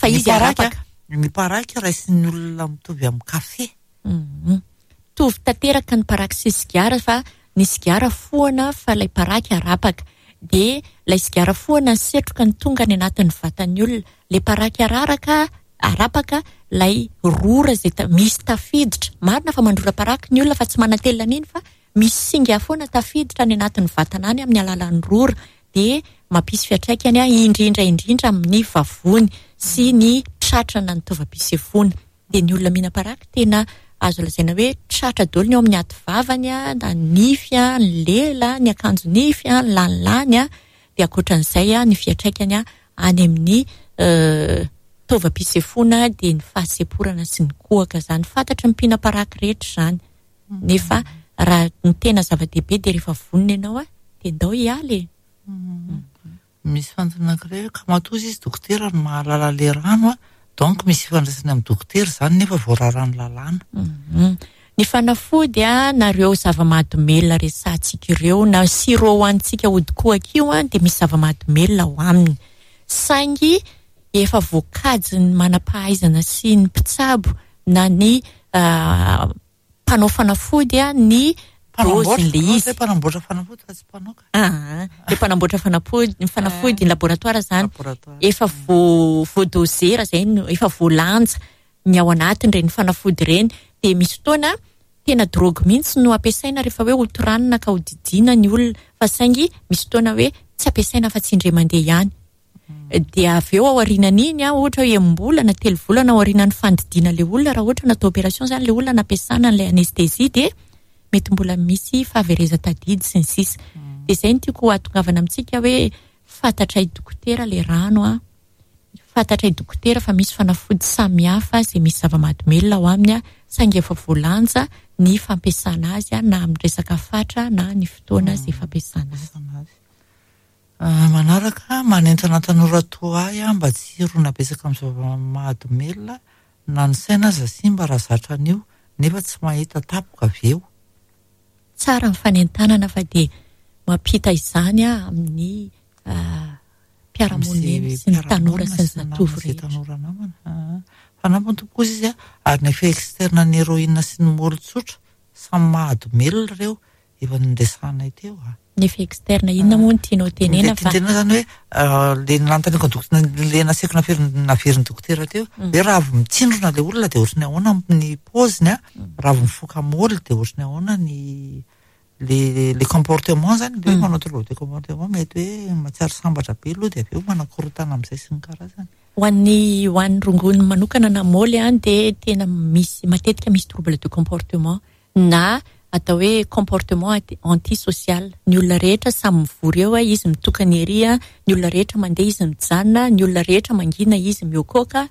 Fa izy arapaka. Ny paraky raisin'ny olona mitovy amin'ny kafe. Mitovy tanteraka ny paraky sy ny sigara fa ny sigara foana fa ilay paraky arapaka. Dia ilay sigara foana ny setroka ny tonga any anatin'ny vatan'ny olona. Ilay paraky araraka, arapaka ilay rora izay ta-, misy tafiditra. Marina fa mandrora paraky ny olona fa tsy manatelina an'iny fa misy singa foana tafiditra any anatin'ny vatana any amin'ny alalan'ny rora. Dia mampisy fiantraikany a, indrindra indrindra amin'ny vavony sy ny tratrana ny taovam-pisefoana. Dia ny olona mihinam-paraky tena azo lazaina hoe tratra daholo ny ao amin'ny aty vavany a, na ny nify a, ny lela, ny akanjo nify a, ny lanilany a. Dia ankoatran'izay a, ny fiantraikany a, any amin'ny taovam-pisefoana dia ny fahasemporana sy ny kohaka izany. Fantatry ny mpihinam-paraky rehetra izany. Nefa raha ny tena zava-dehibe dia rehefa vonona ianao a, dia ndao hiala e. Misy fanontaniana anankiray hoe ka matoa izy dokotera no mahalala le rano a, donc misy ifandraisany amin'ny dokotera izany nefa voararan'ny lalàna. Ny fanafody a, na ireo zava-mahadomelina resahantsika ireo, na sirop ho antsika hodikohaka io a, dia misy zava-mahadomelina ao aminy. Saingy efa voakajin'ny manam-pahaizana sy ny mpitsabo na ny mpanao fanafody a, ny dôzin'ilay izy. Mpanamboatra fanafody fa tsy mpanao ka. Ah, le mpanamboatra fanafody, ny fanafody, ny laboratoire izany. Efa vo-, voadôzera izay no, efa voalanja ny ao anatin'ireny fanafody ireny. Dia misy fotoana tena drogue mihitsy no ampiasaina rehefa hoe hotoranina ka hodidiana ny olona, fa saingy misy fotoana hoe tsy ampiasaina fa tsy indray mandeha ihany. Dia avy eo aorianan'iny a, ohatra hoe enim-bolana, telo volana aorianan'ny fandidiana ilay olona, raha ohatra natao opération izany ilay olona nampiasana an'ilay anesthésie dia mety mbola misy fahaverezan-tadidy sy ny sisa. Dia izay no tiako hahatongavana amintsika hoe fantatray dokotera ilay rano a, fantatray dokotera fa misy fanafody samihafa izay misy zava-mahadomelina ao aminy a, saingy efa voalanja ny fampiasana azy a, na amin'ny resaka fatra na ny fotoana izay fampiasana azy. Manaraka, manentana tanora toa ahy aho mba tsy hirona betsaka amin'ny zava-mahadomelina na ny saina aza simba raha zatra an'io nefa tsy mahita tapoka avy eo. Tsara ny fanentanana fa dia mampita izany a amin'ny mpiara-monina sy ny tanora sy ny zatovo rehetra. Tanora namana. Fanampiny tompoko kosa izy a, ary ny effet externe ny héroïne sy ny môly tsotra samy mahadomelina ireo efa noresahanay teo a. Ny effet externe inona moa no tianao tenena fa Ny tianao zany hoe le nanontaniako ny dokotera, le nasaiko naveriny, naverin'ny dokotera teo, hoe raha avy mitsindrona le olona dia ohatran'ny ahoana ny paoziny a, raha avy mifoka môly dia ohatran'ny ahoana ny le, le comportement zany, le hoe manao trouble de comportement mety hoe mahatsiaro sambatra be aloha dia avy eo manakorontana amin'izay sy ny karazany. Ho an'ny, ho an'ny rongony manokana na môly a, dia tena misy, matetika misy trouble de comportement na atao hoe comportement antisocial. Ny olona rehetra samy mivory eo, izy mitokana ery, ny olona rehetra mandeha izy mijanona, ny olona rehetra mangina izy miokoka.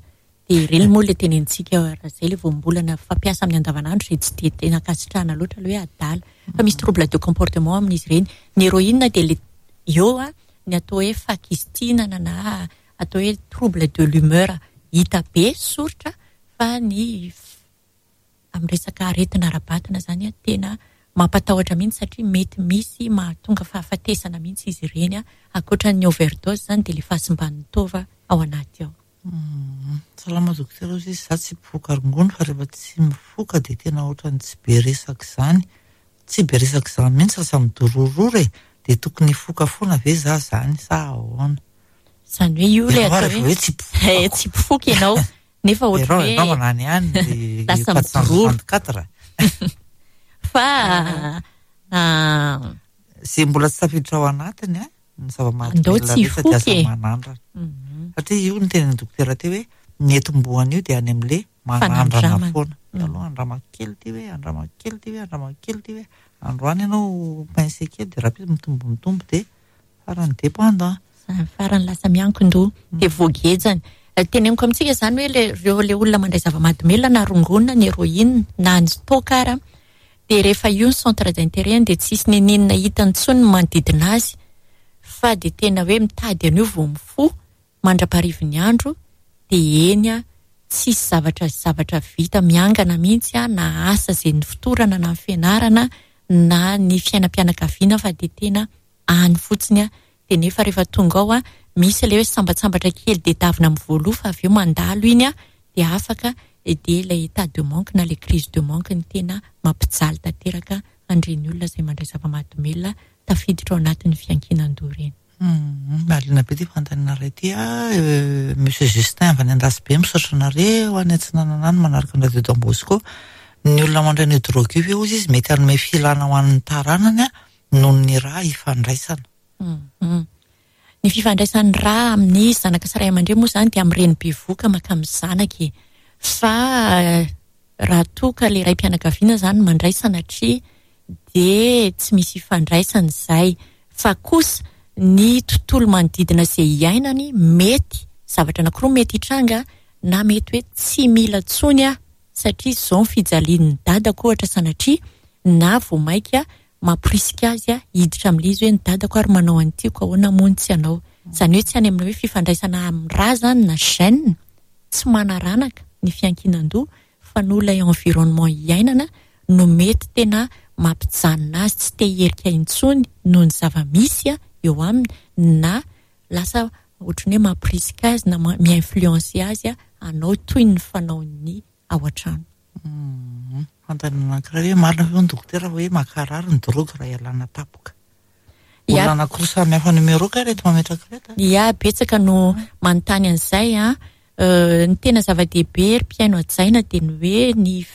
Dia ireny moa ilay tenenitsika raha izay ilay voambolana fampiasa amin'ny andavanandro izay tsy dia tena ankasitrahana loatra ilay hoe adala. Fa misy trouble de comportement amin'izy ireny. Ny héroïne dia ilay eo ny atao hoe fakistinana na atao hoe trouble de l'humeur hita be soritra, fa ny amin'ny resaka aretina ara-batana izany tena mampatahotra mihitsy satria mety misy mahatonga fahafatesana mihitsy izy ireny. Ankoatra ny overdose izany dia ilay fahasimban'ny taova ao anaty ao. Salama dokotera, hoy izy, izaho tsy mpifoka rongony fa rehefa tsy mifoka dia tena ohatran'ny tsy be resaka izany. Tsy be resaka izany mihitsy lasa midorororo e. Dia tokony hifoka foana ve izaho izany sa ahoana? Izany hoe io ilay atao hoe tsy mpifoka. Tsy mpifoka ianao nefa ohatran'ny hoe ianao manany ihany dia lasa midororo. Fa izay mbola tsy tafiditra ao anatiny a, ny zava-mahadomelina rehetra dia aza manandrana. Satria io ny tenin'ny dokotera teo hoe ny etombohana io dia any amin'ilay manandrana foana. Aloha andrama kely ity hoe, andrama kely ity hoe, andrama kely ity hoe. Androany ianao pince kely dia rahampitso mitombo mitombo dia farany dépendant. Farany lasa miankin-doha dia voagejany. Teneniko amintsika izany hoe ireo ilay olona mandray zava-mahadomelina na rongony na ny héroïne na ny toaka ara, dia rehefa io ny centre d'intérêt dia tsisy nininona hitany intsony ny manodidina azy fa dia tena hoe mitady an'io vao mifoha mandra-parivin'ny andro dia eny a tsisy zavatra zavatra vita miangana mihitsy a, na asa izay ny fotorana na ny fianarana na ny fiainam-pianakaviana fa dia tena any fotsiny a. Dia nefa rehefa tonga ao a misy ilay hoe sambatsambatra kely dia davina amin'ny voaloha fa avy eo mandalo iny a dia afaka, dia ilay état de manque na ilay crise de manque ny tena mampijaly tanteraka an'ireny olona izay mandray zava-mahadomelina tafiditra ao anatin'ny fiankinan-doha ireny. Marina be ity fanontaniana iray ity a, Monsieur Justin avy any Andasibe, misaotra anareo any Atsinanana any manaraka ny Radio Don Bosco. Ny olona mandray ny drogue io ve hozy izy mety hanome filana ho an'ny taranany a noho ny rà ifandraisana? Ny fifandraisan'ny rà amin'ny zanaka sy ray aman-dreny moa izany dia amin'ny reny bevoka maka amin'ny zanaka e. Fa raha toa ka ilay ray-pianakaviana izany mandray sanatria dia tsy misy ifandraisana izay. Fa kosa ny tontolo manodidina izay iainany mety zavatra anankiroa mety hitranga, na mety hoe tsy mila intsony aho satria izao ny fijalian'ny dadako ohatra sanatria, na vao mainka mamporisika azy hiditra amin'ilay izy hoe ny dadako ary manao an'ity ko ahoana moa ny tsy hanao. Izany hoe tsy any amin'ny hoe fifandraisana amin'ny rà izany na gène, tsy manaranaka ny fiankinan-doha fa noho ilay environnement iainana no mety tena mampijanona azy tsy te hiherika intsony noho ny zava-misy eo aminy, na lasa ohatran'ny hoe mamporisika azy na mi-influencer azy hanao toy ny fanaon'ny ao an-trano. Fanontaniana anankiray hoe marina ve ny dokotera hoe mankarary ny drogue raha ialana tampoka? Olona anankiroa samy hafa numéro ka ireto mametraka ireto. Ia, betsaka no manontany an'izay a. Ny tena zava-dehibe ry mpihaino hajaina dia ny hoe ny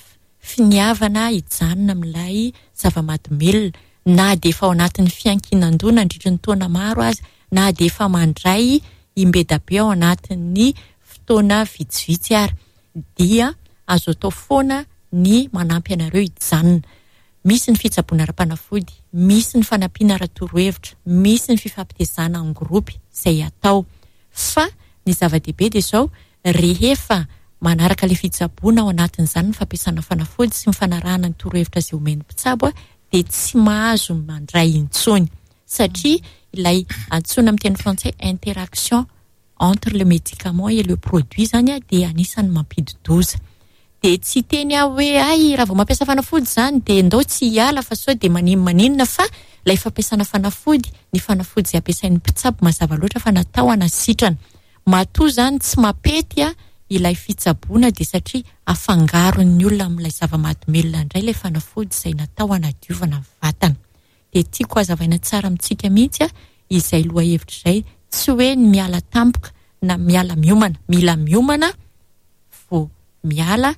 finiavana hijanona amin'ilay zava-mahadomelina, na dia efa ao anatin'ny fiankinan-doha nandritra ny taona maro aza, na dia efa mandray imbedabe ao anatin'ny fotoana vitsivitsy ary, dia azo atao foana ny manampy anareo hijanona. Misy ny fitsaboana ara-panafody, misy ny fanampiana ara-torohevitra, misy ny fifampitezana en groupe izay atao. Fa ny zava-dehibe dia izao, rehefa manaraka ilay fitsaboana ao anatin'izany ny fampiasana fanafody sy ny fanarahana ny torohevitra izay omen'ny mpitsabo dia tsy mahazo mandray intsony satria ilay antsoina amin'ny teny frantsay interaction entre le médicament et le produit zany dia anisan'ny mampidi-doza. Dia tsy teny aho hoe ay raha vao mampiasa fanafody zany dia ndao tsy hiala fa sao dia maninona maninona, fa ilay fampiasana fanafody, ny fanafody izay ampiasain'ny mpitsabo mazava loatra fa natao hanasitrana. Matoa zany tsy mampety a ilay fitsaboana dia satria afangaron'ny olona amin'ilay zava-mahadomelina indray ilay fanafody izay natao hanadiovana ny vatana. Dia tiako hazavaina tsara amintsika mihitsy a izay lohahevitra izay, tsy hoe ny miala tampoka na miala miomana, mila miomana vao miala.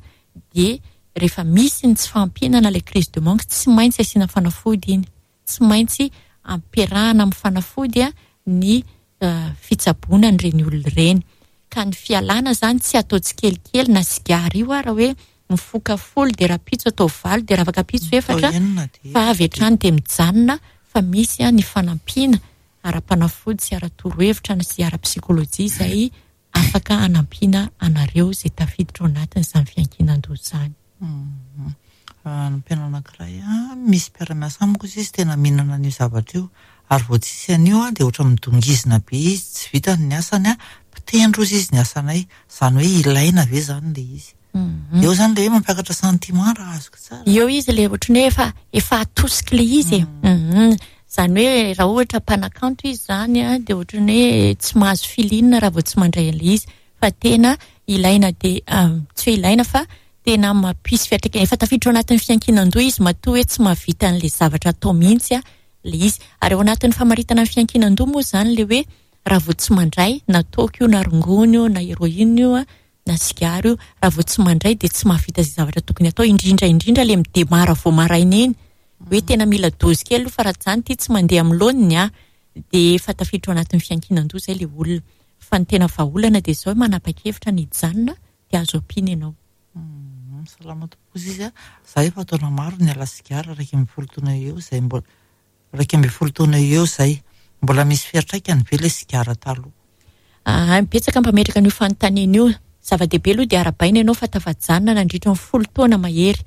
Dia rehefa misy ny tsy fahampiana ilay crise de manque, tsy maintsy asiana fanafody iny, tsy maintsy ampiarahana amin'ny fanafody a ny fitsaboana an'ireny olona ireny. Ka ny fialana zany tsy atao tsikelikely na sigara io ara hoe mifoka folo dia rahampitso atao valo dia raha afaka ampitso efatra fa avy hatrany dia mijanona, fa misy a ny fanampiana ara-panafody sy ara-torohevitra sy ara-psikolojia izay afaka hanampiana anareo izay tafiditra ao anatin'izany fiankinan-doha izany. Nampiana anankiray a, misy mpiara-miasa amiko izy, izy tena mihinana an'io zavatra io, ary vao tsisy an'io a dia ohatra midongizina be izy, tsy vitany ny asany a, mpitendro izy izy ny asanay, izany hoe ilaina ve izany ilay izy? Eo izany ilay hoe mampiakatra sentiment raha azoko tsara. Eo izy ilay ohatran'ny hoe efa, efa atosiky ilay izy e. Izany hoe raha ohatra mpanakanto izy izany a, dia ohatran'ny hoe tsy mahazo filinina raha vao tsy mandray an'ilay izy, fa tena ilaina dia, tsy hoe ilaina fa tena mampisy fiantraikany. Efa tafiditra ao anatin'ny fiankinan-doha izy matoa hoe tsy mahavita an'ilay zavatra atao mihitsy a ilay izy. Ary ao anatin'ny famaritana ny fiankinan-doha moa izany ilay hoe raha vao tsy mandray, na toaka io, na rongony io, na héroïne io, na sigara io, raha vao tsy mandray dia tsy mahavita izay zavatra tokony atao, indrindra indrindra ilay midemara vao maraina iny, hoe tena mila dozy kely aloha fa raha izany ity tsy mandeha amin'ny laoniny a, dia efa tafiditra ao anatin'ny fiankinan-doha izay ilay olona. Fa ny tena vahaolana dia izao hoe manapa-kevitra ny hijanona dia azo ampiana ianao. Salama tompoko izy a, za efa taona maro niala sigara, iraika ambin'ny folo taona eo izay mbola, iraika ambin'ny folo taona eo izay, mbola misy fiantraikany ve ilay sigara taloha? Ah, betsaka mpametraka an'io fanontaniana io. Zava-dehibe aloha dia arahabaina ianao fa tafajanona nandritra ny folo taona mahery.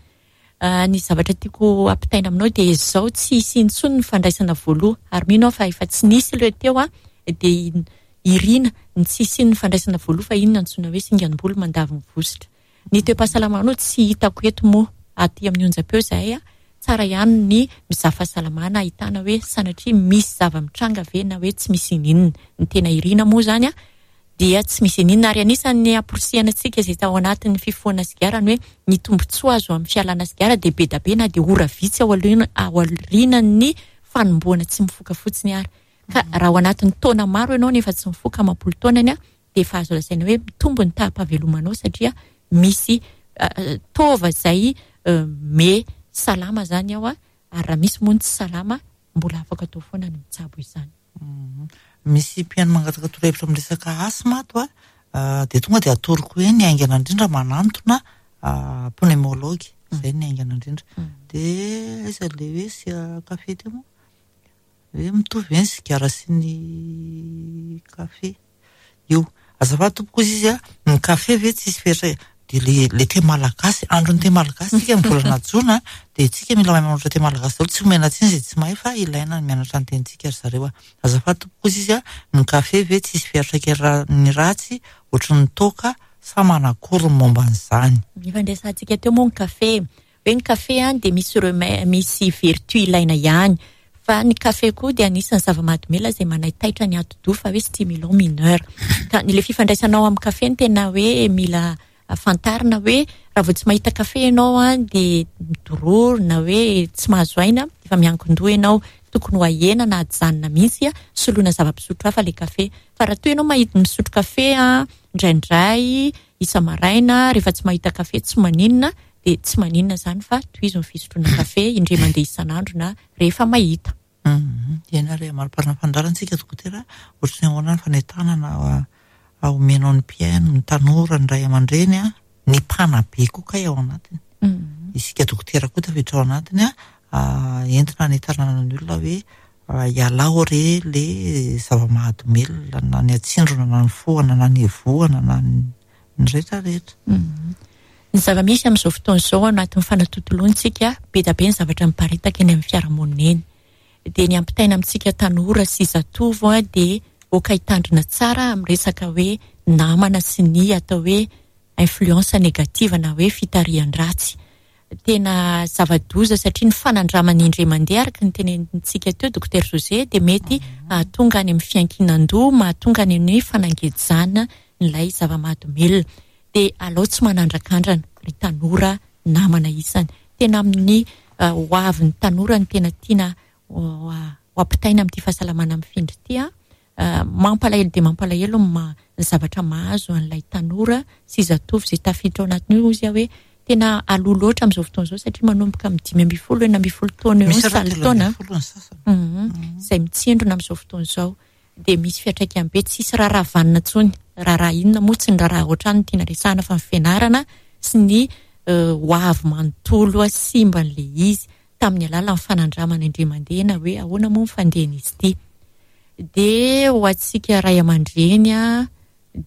Ah, ny zavatra tiako ampitaina aminao dia izao, tsy hisy intsony ny fandraisana voaloha, ary mino aho fa efa tsy nisy ilay teo a, dia irina ny tsy hisian'ny fandraisana voaloha, fa inona antsoina hoe singanam-bolo mandavo ny vositra. Ny toe-pahasalamanao tsy hitako eto moa aty amin'ny onjam-peo izahay a, tsara ihany ny mizaha fahasalamana ahitana hoe sanatria misy zava-mitranga ve na hoe tsy misy ininona. Ny tena irina moa izany a dia tsy misy ininona, ary anisan'ny amporisihana antsika izay tao anatin'ny fifohana sigara ny hoe ny tombontsoa azo amin'ny fialana sigara dia be dia be na dia ora vitsy ao aoriana, ao aorianan'ny fanombohana tsy mifoka fotsiny ary. Ka raha ao anatin'ny taona maro ianao nefa tsy mifoka amam-polo taonany a, dia efa azo lazaina hoe mitombo ny taham-pahavelomanao satria misy taova izay me salama izany ao a, ary raha misy moa ny tsy salama mbola afaka atao foana ny mitsabo izany. Misy mpihaino mangataka torohevitra amin'ny resaka asma ato a, dia tonga dia atoroko hoe ny haingana indrindra manantona pneumologue, izay ny haingana indrindra. Dia aiza ilay hoe sy kafe teo moa? Hoe mitovy ve ny sigara sy ny kafe? Io. Azafady tompoko izy a, ny kafe ve tsisy fetra? Dia le, le thé malagasy, andron'ny thé malagasy tsika amin'ny volana jona, dia tsika mila mahay manoratra thé malagasy daholo, tsy omena tsiny izay tsy mahay fa ilaina ny mianatra ny tenintsika ry zareo a. Azafady tompoko izy a, ny kafe ve tsisy fiantraikany ratsy ohatry ny toaka sa manakory ny momba an'izany? Ny fandraisantsika teo moa ny kafe, hoe ny kafe a dia misy remè-, misy vertu ilaina ihany, fa ny kafe koa dia anisan'ny zava-mahadomelina izay manaitaitra ny atidoha fa hoe stimulant mineur. Ka ny le fifandraisanao amin'ny kafe no tena hoe mila fantarina hoe raha vao tsy mahita kafe ianao a dia midororo na hoe tsy mahazo aina, efa miankin-doha ianao, tokony ho ahena na ajanona mihitsy a, soloina zava-pisotro hafa le kafe. Fa raha toa ianao mahita misotro kafe a indraindray isa-maraina, rehefa tsy mahita kafe tsy maninona, dia tsy maninona izany fa tohizo ny fisotroana kafe indray mandeha isan'andro na rehefa mahita. Eny ary, mari-parana fandaharantsika dokotera, ohatry ny ahoana ny fanentanana omenao ny mpihaino, ny tanora, ny ray aman-dreny a, ny mpanabe koa kay ao anatiny. Isika dokotera koa tafiditra ao anatiny a, entina hanentanana ny olona hoe ialao re le zava-mahadomelina na ny atsindrona na ny fohana na ny evohana na ny rehetrarehetra. Ny zava-misy amin'izao fotoana izao anatin'ny fanatontoloantsika, be dia be ny zavatra miparitaka eny amin'ny fiarahamonina eny. Dia ny ampitaina amintsika tanora sy zatovo a, dia oka hitandrina tsara amin'ny resaka hoe namana sy ny atao hoe influence négative na hoe fitarihan-dratsy. Tena zava-doza satria ny fanandramana indray mandeha araka ny tenenintsika teo Docteur José dia mety hahatonga any amin'ny fiankinan-doha, mahatonga any amin'ny fanangejana ilay zava-mahadomelina. Dia alao tsy manandrakandrana ry tanora namana isany. Tena amin'ny ho avin'ny tanora ny tena tiana ho ampitaina amin'ity fahasalamana mifindra ity a. Mampalahelo dia mampalahelo ny ma-, ny zavatra mahazo an'ilay tanora sy zatovo izay tafiditra ao anatin'io izy hoe tena aloha loatra amin'izao fotoana izao satria manomboka amin'ny dimy ambin'ny folo, enina ambin'ny folo taona eo, Misy raha salo telo taona. ambin'ny folo ny sasany. Mhm. Izay mitsindrona amin'izao fotoana izao dia misy fiantraikany be, tsisy raharaha vanona intsony. Raharaha inona moa, tsy ny raharaha ohatrany no tiana resahana fa ny fianarana sy ny ho avy manontolo simba an'ilay izy tamin'ny alalan'ny fanandramana indray mandeha na hoe ahoana moa ny fandehan'izy ity. Dia ho antsika ray aman-dreny a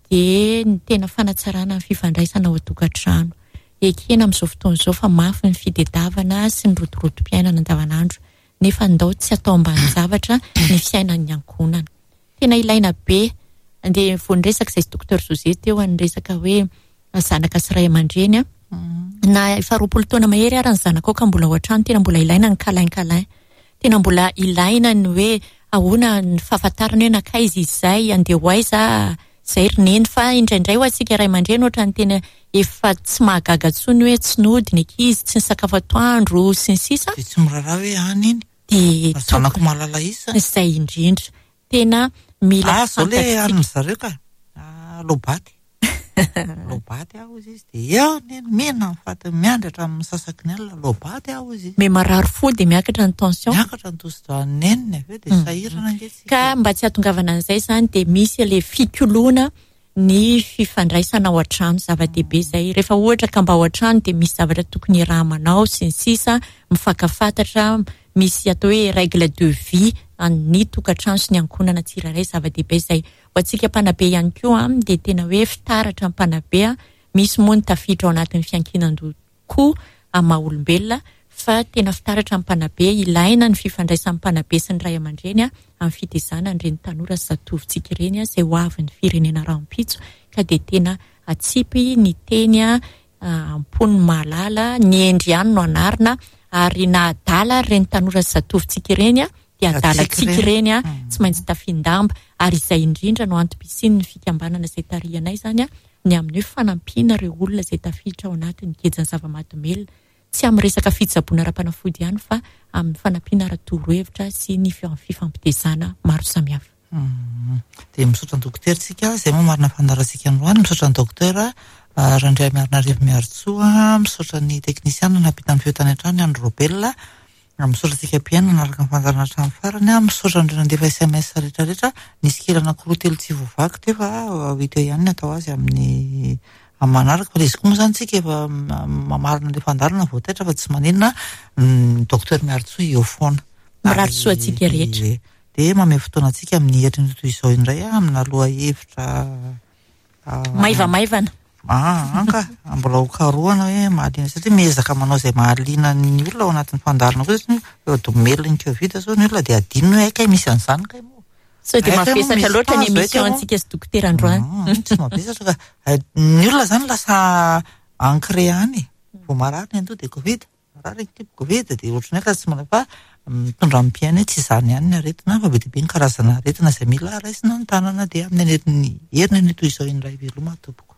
dia ny tena fanatsarana ny fifandraisana ao an-tokantrano. Ekena amin'izao fotoana izao fa mafy ny fitadiavana sy ny rotorotom-piainana andavanandro, nefa ndao tsy atao ambanin-javatra ny fiainan'ny ankohonana. Tena ilaina be. Andeha vao niresaka izay sy docteur José teo niresaka hoe zanaka sy ray aman-dreny a, na efa roapolo taona mahery ary ny zanakao ka mbola ao an-trano, tena mbola ilaina ny câlin câlin. Tena mbola ilaina ny hoe ahoana ny fahafantarana hoe nankaiza izy izay, andeha ho aiza izay ry neny. Fa indraindray ho antsika ray aman-dreny ohatra ny tena efa tsy mahagaga intsony hoe tsy nody ny ankizy, tsy nisakafo atoandro sy ny sisa. Dia tsy miraharaha hoe any iny. Dia zanako mahalala isa. Izay indrindra. Tena mila Ah, zao le an'ny zareo ka. Ah, lobaty. Lobaty aho izy izy dia eo neny mena ny faty miandry hatramin'ny sasaky ny alina lobaty aho izy. Me marary fo dia miakatra ny tension. Miakatra ny tosi-dràn'ny neniny avy eo dia sahirana ange tsika. Ka mba tsy hahatongavana an'izay izany dia misy ilay fikoloana ny fifandraisana ao an-trano, zava-dehibe izay. Rehefa ohatra ka mba ao an-trano dia misy zavatra tokony iaraha-manao sy ny sisa, mifankafantatra, misy atao hoe règle de vie ny tokantrano sy ny ankohonana tsirairay, zava-dehibe izay. Ho antsika mpanabe ihany koa dia tena hoe fitaratra mpanabe, misy moa ny tafiditra ao anatin'ny fiankinan-doha koa amin'ny maha olombelona, fa tena fitaratra mpanabe, ilaina ny fifandraisan'ny mpanabe sy ny ray aman-dreny amin'ny fitezana an'ireny tanora sy zatovontsika ireny izay ho avin'ny firenena rahampitso, ka dia tena atsipy ny teny am-pon'ny mahalala, ny endry ihany no anarina, ary na adala ireny tanora sy zatovontsika ireny dia adalantsika ireny tsy maintsy tafian-damba, ary izay indrindra no antom-pisian'ny fikambanana izay tarihanay izany ny amin'ny hoe fanampiana ireo olona izay tafiditra ao anatin'ny gejan'ny zava-mahadomelina, tsy amin'ny resaka fitsaboana ara-panafody ihany fa amin'ny fanampiana ara-torohevitra sy ny fifampitezana maro samihafa. Dia misaotra ny dokotera tsika, izay moa marina fandaharantsika androany. Misaotra ny dokotera Randriamiarinarivo Miarintsoa, misaotra ny teknisiana nampita ny feo tany an-trano Andry Robel, misaotra antsika mpihaino nanaraka ny fandaharana hatramin'ny farany, misaotra an'ireo nandefa S M S rehetrarehetra. Nisy kely anankiroa telo tsy voavaky teo fa ho hita eo ihany ny atao azy amin'ny amin'ny manaraka. Fa ilay izy koa moa izany tsika efa mamarina ilay fandaharana vao taitra fa tsy maninona, ny docteur Miarintsoa eo foana. Mirary soa antsika rehetra. Dia mamehy fotoana antsika amin'ny herinandro toy izao indray amina lohahevitra maivamaivana. Ah, anka mbola ho karohana hoe mahaliana, satria miezaka manao izay mahaliana ny olona ao anatin'ny fandaharana koa, satria efa domelon'ny Covid zao ny olona dia adino hoe kay misy an'izany kay moa. Sao dia Hay kay moa mavesatra misy loatra ny tazo, hay kay émission moa. antsika sy dokotera androany. Ah, tsy mavesatra ka. Hay, ny olona zany lasa ancré any. Vao marary ny andoha dia Covid, marary ny kibo Covid, dia ohatran'ny hoe ka tsy manao fa mitondra amin'ny mpiaina hoe tsy izany ihany ny aretina, fa be dia be ny karazana aretina izay mila raisina an-tanana. Dia amin'ny herin'ny herin'ny toy izao indray veloma tompoko.